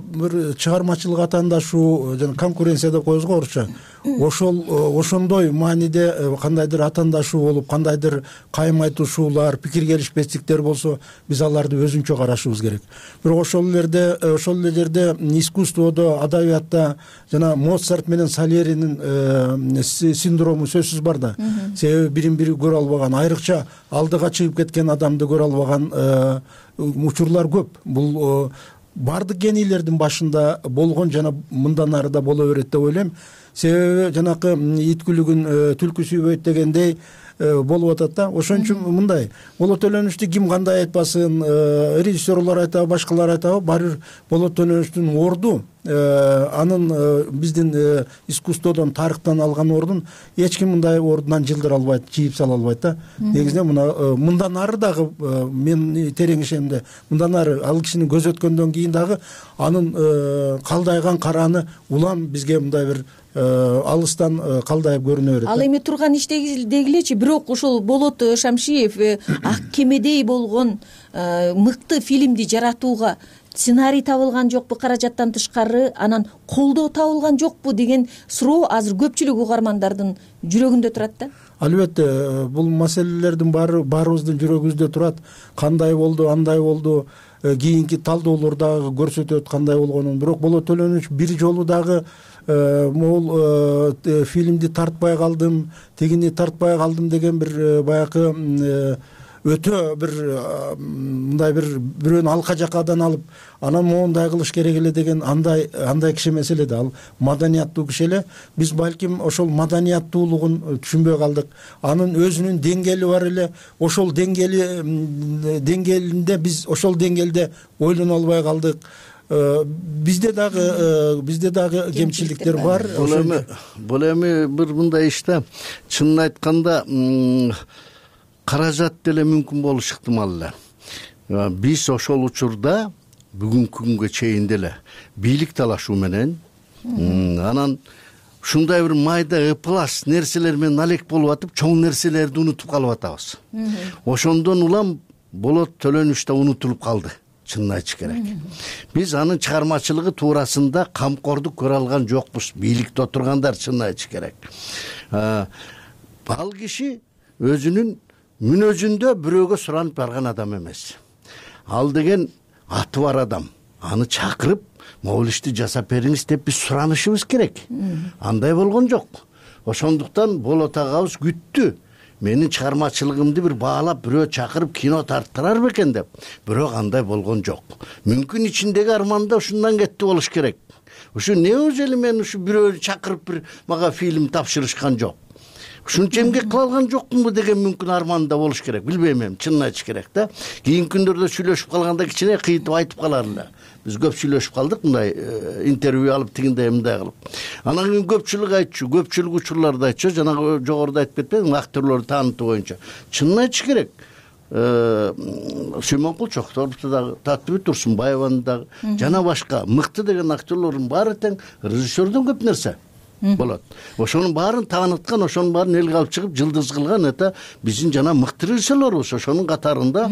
D: бир чыгармачылык атаандашуу жана конкуренция деп коебуз го орусча. Ошондой мааниде кандайдыр атаандашуу болуп, кандайдыр кайым айтышуулар, пикир келишпестиктер болсо, биз аларды өзүнчө карашыбыз керек. Бирок ошол эле жерде искусстводо, адабиятта жана Моцарт менен Сальеринин синдрому сөзсүз бар да. Себеби бирин бири көрө албаган, айрыкча алдыга чыгып кеткен адамды көрө албаган учурлар көп. Бул бардык генийлердин башында болгон жана мындан ары да боло берет деп ойлойм. Себеби жанакы ит күлүгүн түлкү сүйбөйт дегендей болуп атат да. Ошон үчүн мындай Болот Төлөнүчтү ким кандай айтпасын, режиссерлор айтабы, башкалар айтабы, баары бир Болот Төлөнүчтүн орду, анын биздин искусстводон, тарыхтан алган ордун эч ким мындай ордунан жылдыра албайт, чийип сала албайт да. Негизинен мындан ары дагы мен терең ишенимде, мындан ары ал кишини көзөткөндөн кийин дагы анын калдайган караны улам бизге мындай бир алыстан калдайып көрүнө берет.
U: Ал эми турган иштегилечи, бирок ошол Болот Шамшиев ак кемедей болгон мыкты фильмди жаратууга сценарий табылган жокпу, каражаттан тышкары, анан колдоо табылган жокпу деген суроо азыр көпчүлүк угармандардын жүрөгүндө турат да.
D: Албетте, бул маселелердин баарыбыздын жүрөгүбүздө турат. Кандай болду, андай болду, кийинки талдоолор дагы көрсөтөт кандай болгонун. Бирок Болот Төлөнүч бир жолу дагы могул фильмди тартпай калдым, тигини тартпай калдым деген бир баягы өтө бир мындай бир бирөөнү алка жакадан алып, анан моундай кылыш керек эле деген андай киши эмес эле да. Ал маданияттуу киши эле. Биз балким ошол маданияттуулугун түшүнбөй калдык. Анын өзүнүн деңгээли бар эле. Ошол деңгээлинде биз ошол деңгээлде ойлоно албай калдык. Бизде дагы кемчиликтер бар.
V: Бул эми бир мындай иште чынын айтканда каражат деле мүмкүн болушу ыктымал эле. Биз ошол учурда бүгүнкү күнгө чейин деле бийлик талашуу менен анан ушундай бир майда ыплас нерселер менен алек болуп атып, чоң нерселерди унутуп калып атабыз. Ошондон улам Болот Төлөнүч да унутулуп калды, чынын айтыш керек. Биз анын чыгармачылыгы туурасында камкордук көрө алган жокпуз, бийликте отургандар, чынын айтыш керек. Ал киши өзүнүн мүнөзүндө бирөөгө суранып барган адам эмес. Ал деген аты бар адам. Аны чакырып, могул ишти жасап бериңиз деп биз суранышыбыз керек. Андай болгон жок. Ошондуктан Болот агабыз күттү. менин чыгармачылыгымды бир баалап бирөө чакырып кино тарттырар бекен деп, бирок андай болгон жок. Мүмкүн ичиндеги арманда ушундан кетти болуш керек. Ушу неужели мен ушу бирөө чакырып бир мага фильм тапшырышкан жок. Ушунча эмгек кыла алган жокмунбу деген мүмкүн арманда болуш керек. Билбейм эми, чынын айтыш керек да. Кийинки күндөрдө сүйлөшүп калганда кичине кыйтып айтып калар эле. Биз көп сүйлөшүп калдык мындай интервью алып тигиндей мындай кылып. Анан кийин көпчүлүк айтчу, көпчүлүк учурларда айтчу, жанагы жогоруда айтып кетпедимби, актерлорду таанытуу боюнча. Чынын айтыш керек. Сүймөнкул Чокторовду дагы, Татыбүт Турсунбаеваны дагы, жана башка мыкты деген актерлордун баары тең режиссердон көп нерсе болот. Ошонун баарын тааныткан, ошонун баарын элге алып чыгып жылдыз кылган это биздин жана мыкты режиссерлорубуз, ошонун катарында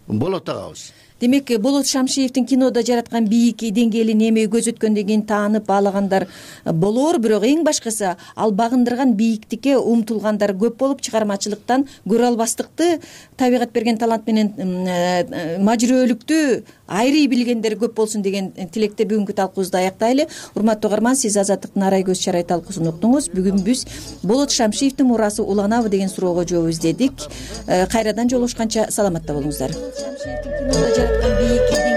V: болот агабыз.
U: Демек, Болот Шамшиевдин кинода жараткан бийик деңгээлин эми көзөткөндөн кийин таанып баалагандар болоор, бирок эң башкысы ал багындырган бийиктикке умтулгандар көп болуп, чыгармачылыктан көрө албастыкты, табигат берген талант менен мажүрөлүктү айрый билгендер көп болсун деген тилекте бүгүнкү талкуубузду аяктайлы. Урматтуу угарман, сиз Азаттыктын арай көз чарай талкуусун уктуңуз. Бүгүн биз Болот Шамшиевдин мурасы уланабы деген суроого жооп издедик. Кайрадан жолугушканча саламатта болуңуздар. Бийик